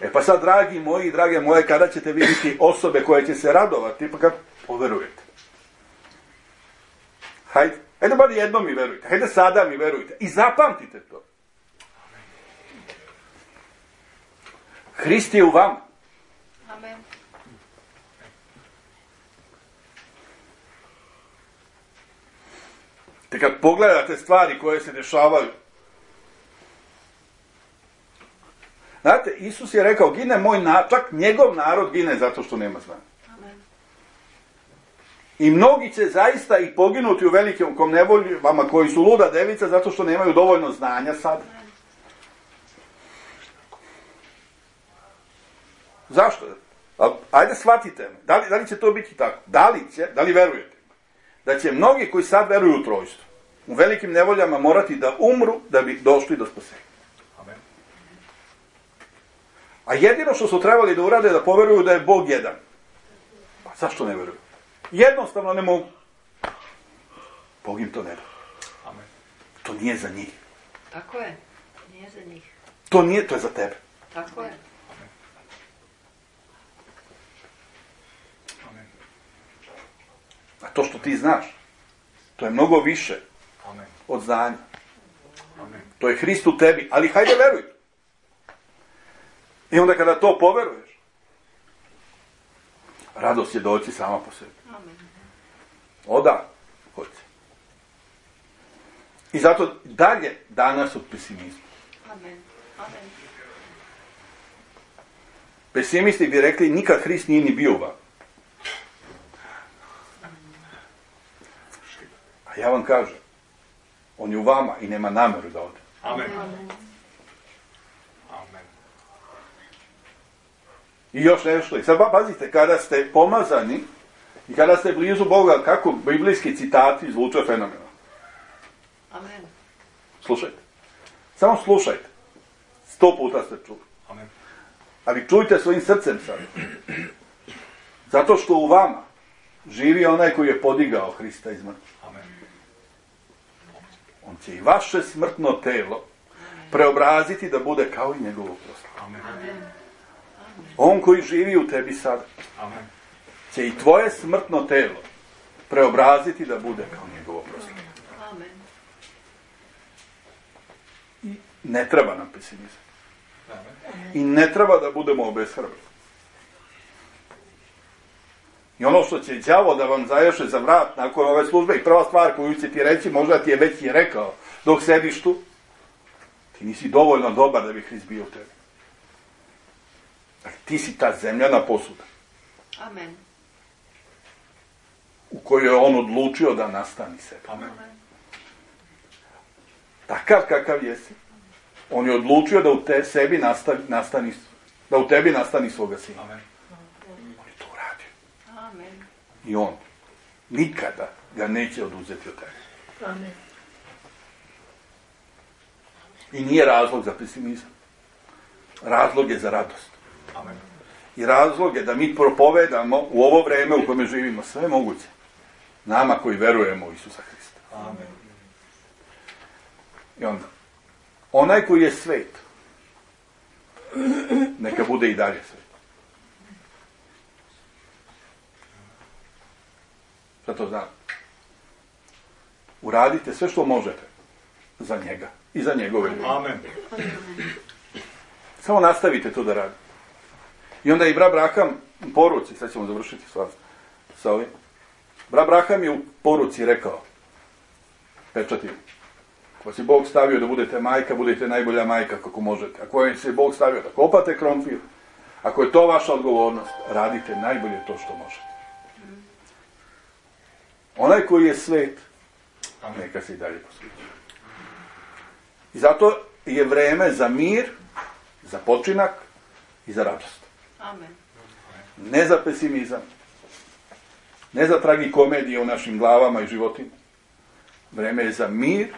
E pa sad, dragi moji, drage moje, kada ćete vidjeti osobe koje će se radovati, pa kad poverujete. Hajde, hajde bar jednom mi verujte, hajde sada mi verujte i zapamtite to. Hrist je u vama. Amen. Te kad pogledate stvari koje se dešavaju, znate, Isus je rekao, gine moj narod, čak njegov narod gine zato što nema znanja. Amen. I mnogi će zaista i poginuti u velikom nevolji, vama koji su luda devica, zato što nemaju dovoljno znanja sad. Zašto? Ajde shvatite me. Da li, da li će to biti tako? Da li će, da li verujete? Da će mnogi koji sad veruju u trojstvo, u velikim nevoljama morati da umru da bi došli do spasenja. Amen. A jedino što su trebali da urade je da poveruju da je Bog jedan. Pa zašto ne veruju? Jednostavno ne mogu. Bog im to ne da. Amen. To nije za njih. Tako je. Nije za njih. To nije, to je za tebe. Tako je. Amen. A to što ti znaš, to je mnogo više Amen. od znanja. Amen. To je Hrist u tebi, ali hajde veruj. I onda kada to poveruješ, radost će doći sama po sebi. Amen. Oda, hoće. I zato dalje danas od pesimizma. Amen. Amen. Pesimisti bi rekli, nikad Hrist nije ni bio u vama. A ja vam kažem, on je u vama i nema namjeru da ode. Amen. Amen. Amen. I još nešto. I sad pazite, kada ste pomazani i kada ste blizu Boga, kako biblijski citati zvuče fenomenalno. Amen. Slušajte. Samo slušajte. Sto puta ste čuli. Amen. Ali čujte svojim srcem sad. Zato što u vama živi onaj koji je podigao Hrista iz mrtvih. Amen. On će i vaše smrtno telo preobraziti da bude kao i njegovo proslavo. Amen. On koji živi u tebi sada Amen. će i tvoje smrtno telo preobraziti da bude kao njegovo proslavo. Amen. I ne treba nam pesimizam. Amen. I ne treba da budemo obeshrabreni. I ono što će đavo da vam zaješe za vrat nakon ove službe i prva stvar koju će ti reći, možda ti je već i rekao dok sediš tu, ti nisi dovoljno dobar da bi Hrist bio u tebi. Dakle, ti si ta zemljana posuda Amen. u kojoj je on odlučio da nastani sebe. Amen. Takav kakav jesi, on je odlučio da u te sebi nastavi, nastani, da u tebi nastani svoga sina. Amen. On je to uradio. Amen. I on nikada ga neće oduzeti od tebe. Amen. I nije razlog za pesimizam. Razlog je za radost. Amen. I razlog je da mi propovedamo u ovo vreme u kome živimo sve moguće. Nama koji verujemo u Isusa Hrista. Amen. I onda, onaj koji je svet, neka bude i dalje svet. Šta to znam? Uradite sve što možete za njega i za njegove ljude. Amen. Samo nastavite to da radite. I onda i bra Braham u poruci, sad ćemo završiti s sa ovim. Bra Braham je u poruci rekao, pečati, ako si Bog stavio da budete majka, budete najbolja majka kako možete. Ako je se Bog stavio da kopate krompir, ako je to vaša odgovornost, radite najbolje to što možete. Onaj koji je svet, neka se i dalje posvećuje. I zato je vreme za mir, za počinak i za radost. Amen. Ne za pesimizam, ne za tragikomedije u našim glavama i životima. Vreme je za mir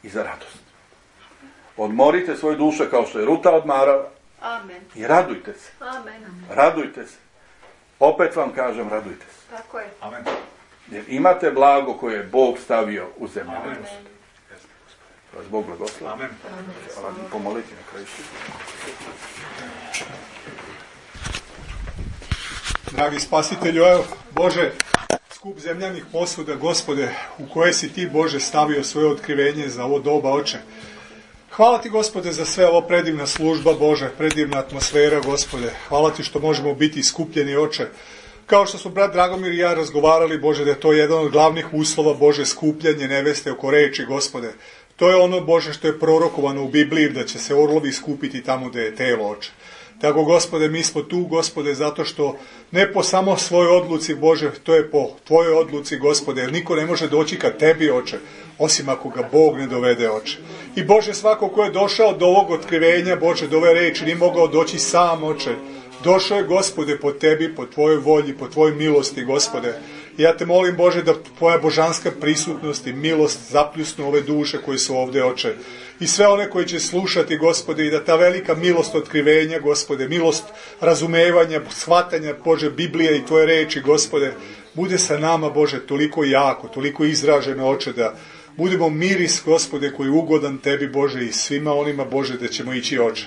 i za radost. Odmorite svoje duše kao što je Ruta odmarala Amen. i radujte se. Amen. Radujte se. Opet vam kažem, radujte se. Tako je. Amen. Jer imate blago koje je Bog stavio u zemlju. Amen. Vas Bog blagoslovi. Amen. Hvala mi pomoliti na kraju. Dragi spasitelju, evo, Bože, skup zemljanih posuda, Gospode, u koje si ti, Bože, stavio svoje otkrivenje za ovo doba, Oče. Hvala ti, Gospode, za sve ovo predivna služba, Bože, predivna atmosfera, Gospode. Hvala ti što možemo biti skupljeni, Oče. Kao što smo brat Dragomir i ja razgovarali, Bože, da je to jedan od glavnih uslova, Bože, skupljanje neveste oko reči, Gospode. To je ono, Bože, što je prorokovano u Bibliji, da će se orlovi skupiti tamo gde je telo, Oče. Tako, Gospode, mi smo tu, Gospode, zato što ne po samo svojoj odluci, Bože, to je po tvojoj odluci, Gospode, jer niko ne može doći ka tebi, Oče, osim ako ga Bog ne dovede, Oče. I, Bože, svako ko je došao do ovog otkrivenja, Bože, do ove reči, nije mogao doći sam, Oče. Došao je, Gospode, po tebi, po tvojoj volji, po tvojoj milosti, Gospode. I ja te molim, Bože, da tvoja božanska prisutnost i milost zapljusnu ove duše koje su ovdje, Oče. I sve one koji će slušati, Gospode, i da ta velika milost otkrivenja, Gospode, milost razumevanja, shvatanja, Bože, Biblije i tvoje reči, Gospode, bude sa nama, Bože, toliko jako, toliko izraženo, Oče, da budemo miris, Gospode, koji je ugodan tebi, Bože, i svima onima, Bože, da ćemo ići, Oče.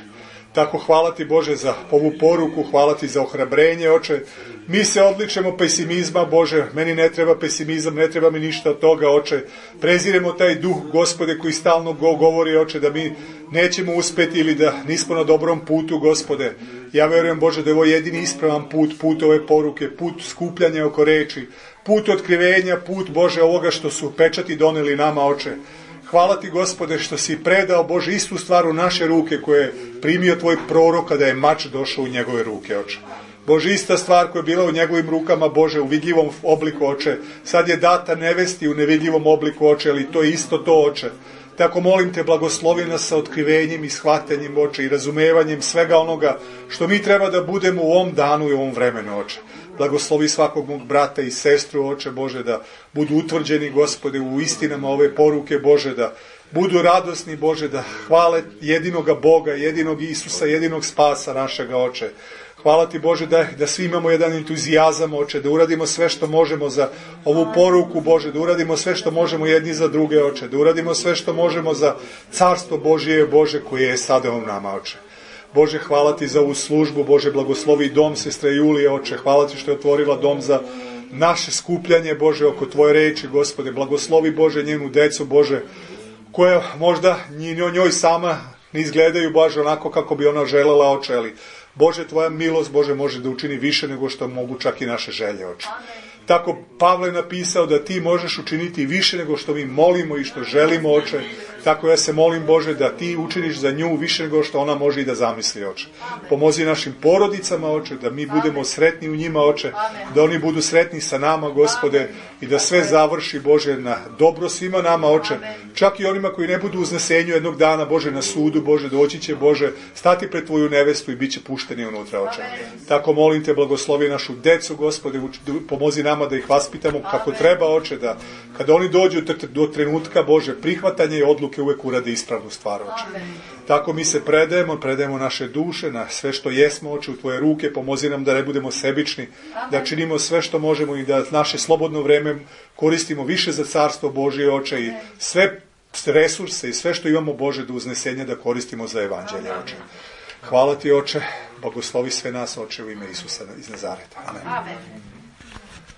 Tako hvala ti, Bože, za ovu poruku, hvala ti za ohrabrenje, Oče. Mi se odličemo pesimizma, Bože, meni ne treba pesimizam, ne treba mi ništa od toga, Oče. Preziremo taj duh, Gospode, koji stalno govori, Oče, da mi nećemo uspeti ili da nismo na dobrom putu, Gospode. Ja verujem, Bože, da je ovo jedini ispravan put, put ove poruke, put skupljanja oko reči, put otkrivenja, put, Bože, ovoga što su pečati doneli nama, Oče. Hvala ti, Gospode, što si predao, Bože, istu stvar u naše ruke koje je primio tvoj prorok kada je mač došao u njegove ruke, Oče. Bože, ista stvar koja je bila u njegovim rukama, Bože, u vidljivom obliku, Oče. Sad je data nevesti u nevidljivom obliku, Oče, ali to je isto to, Oče. Tako molim te, blagoslovi nas sa otkrivenjem i shvatanjem, Oče, i razumevanjem svega onoga što mi treba da budemo u ovom danu i u ovom vremenu, Oče. Blagoslovi svakog mog brata i sestru, Oče, Bože, da budu utvrđeni, Gospode, u istinama ove poruke, Bože, da budu radosni, Bože, da hvale jedinoga Boga, jedinog Isusa, jedinog spasa našega, Oče. Hvala ti, Bože, da, da svi imamo jedan entuzijazam, Oče, da uradimo sve što možemo za ovu poruku, Bože, da uradimo sve što možemo jedni za druge, Oče, da uradimo sve što možemo za carstvo Božije, Bože, koje je sada u nama, Oče. Bože, hvala ti za ovu službu, Bože, blagoslovi dom sestre Julije, Oče, hvala ti što je otvorila dom za naše skupljanje, Bože, oko tvoje reči, Gospode, blagoslovi, Bože, njenu decu, Bože, koja možda njoj sama ne izgledaju, Bože, onako kako bi ona želela, Oče, ali Bože, tvoja milost, Bože, može da učini više nego što mogu čak i naše želje, Oče. Tako Pavle je napisao da ti možeš učiniti više nego što mi molimo i što želimo, Oče. Tako ja se molim, Bože, da ti učiniš za nju više nego što ona može i da zamisli, Oče. Pomozi našim porodicama, Oče, da mi budemo sretni u njima, Oče, da oni budu sretni sa nama, Gospode, i da sve završi, Bože, na dobro svima nama, Oče. Čak i onima koji ne budu u uznesenju jednog dana, Bože, na sudu, Bože, doći će, Bože, stati pred tvoju nevestu i bit će pušteni unutra, Oče. Tako molim te, blagoslovi našu decu, Gospode, pomozi nama da ih vaspitamo kako treba, Oče, da kada oni dođu do trenutka, Bože, prihvatanja i odluke uvek urade ispravnu stvar, Oče. Tako mi se predajemo, predajemo naše duše, na sve što jesmo, Oče, u tvoje ruke, pomozi nam da ne budemo sebični, da činimo sve što možemo i da naše slobodno vreme koristimo više za carstvo Božije, Oče, i sve resurse i sve što imamo, Bože, do uznesenja da koristimo za evanđelje, Oče. Hvala ti, Oče, blagoslovi sve nas, Oče, u ime Isusa iz Nazareta. Amen. Amen.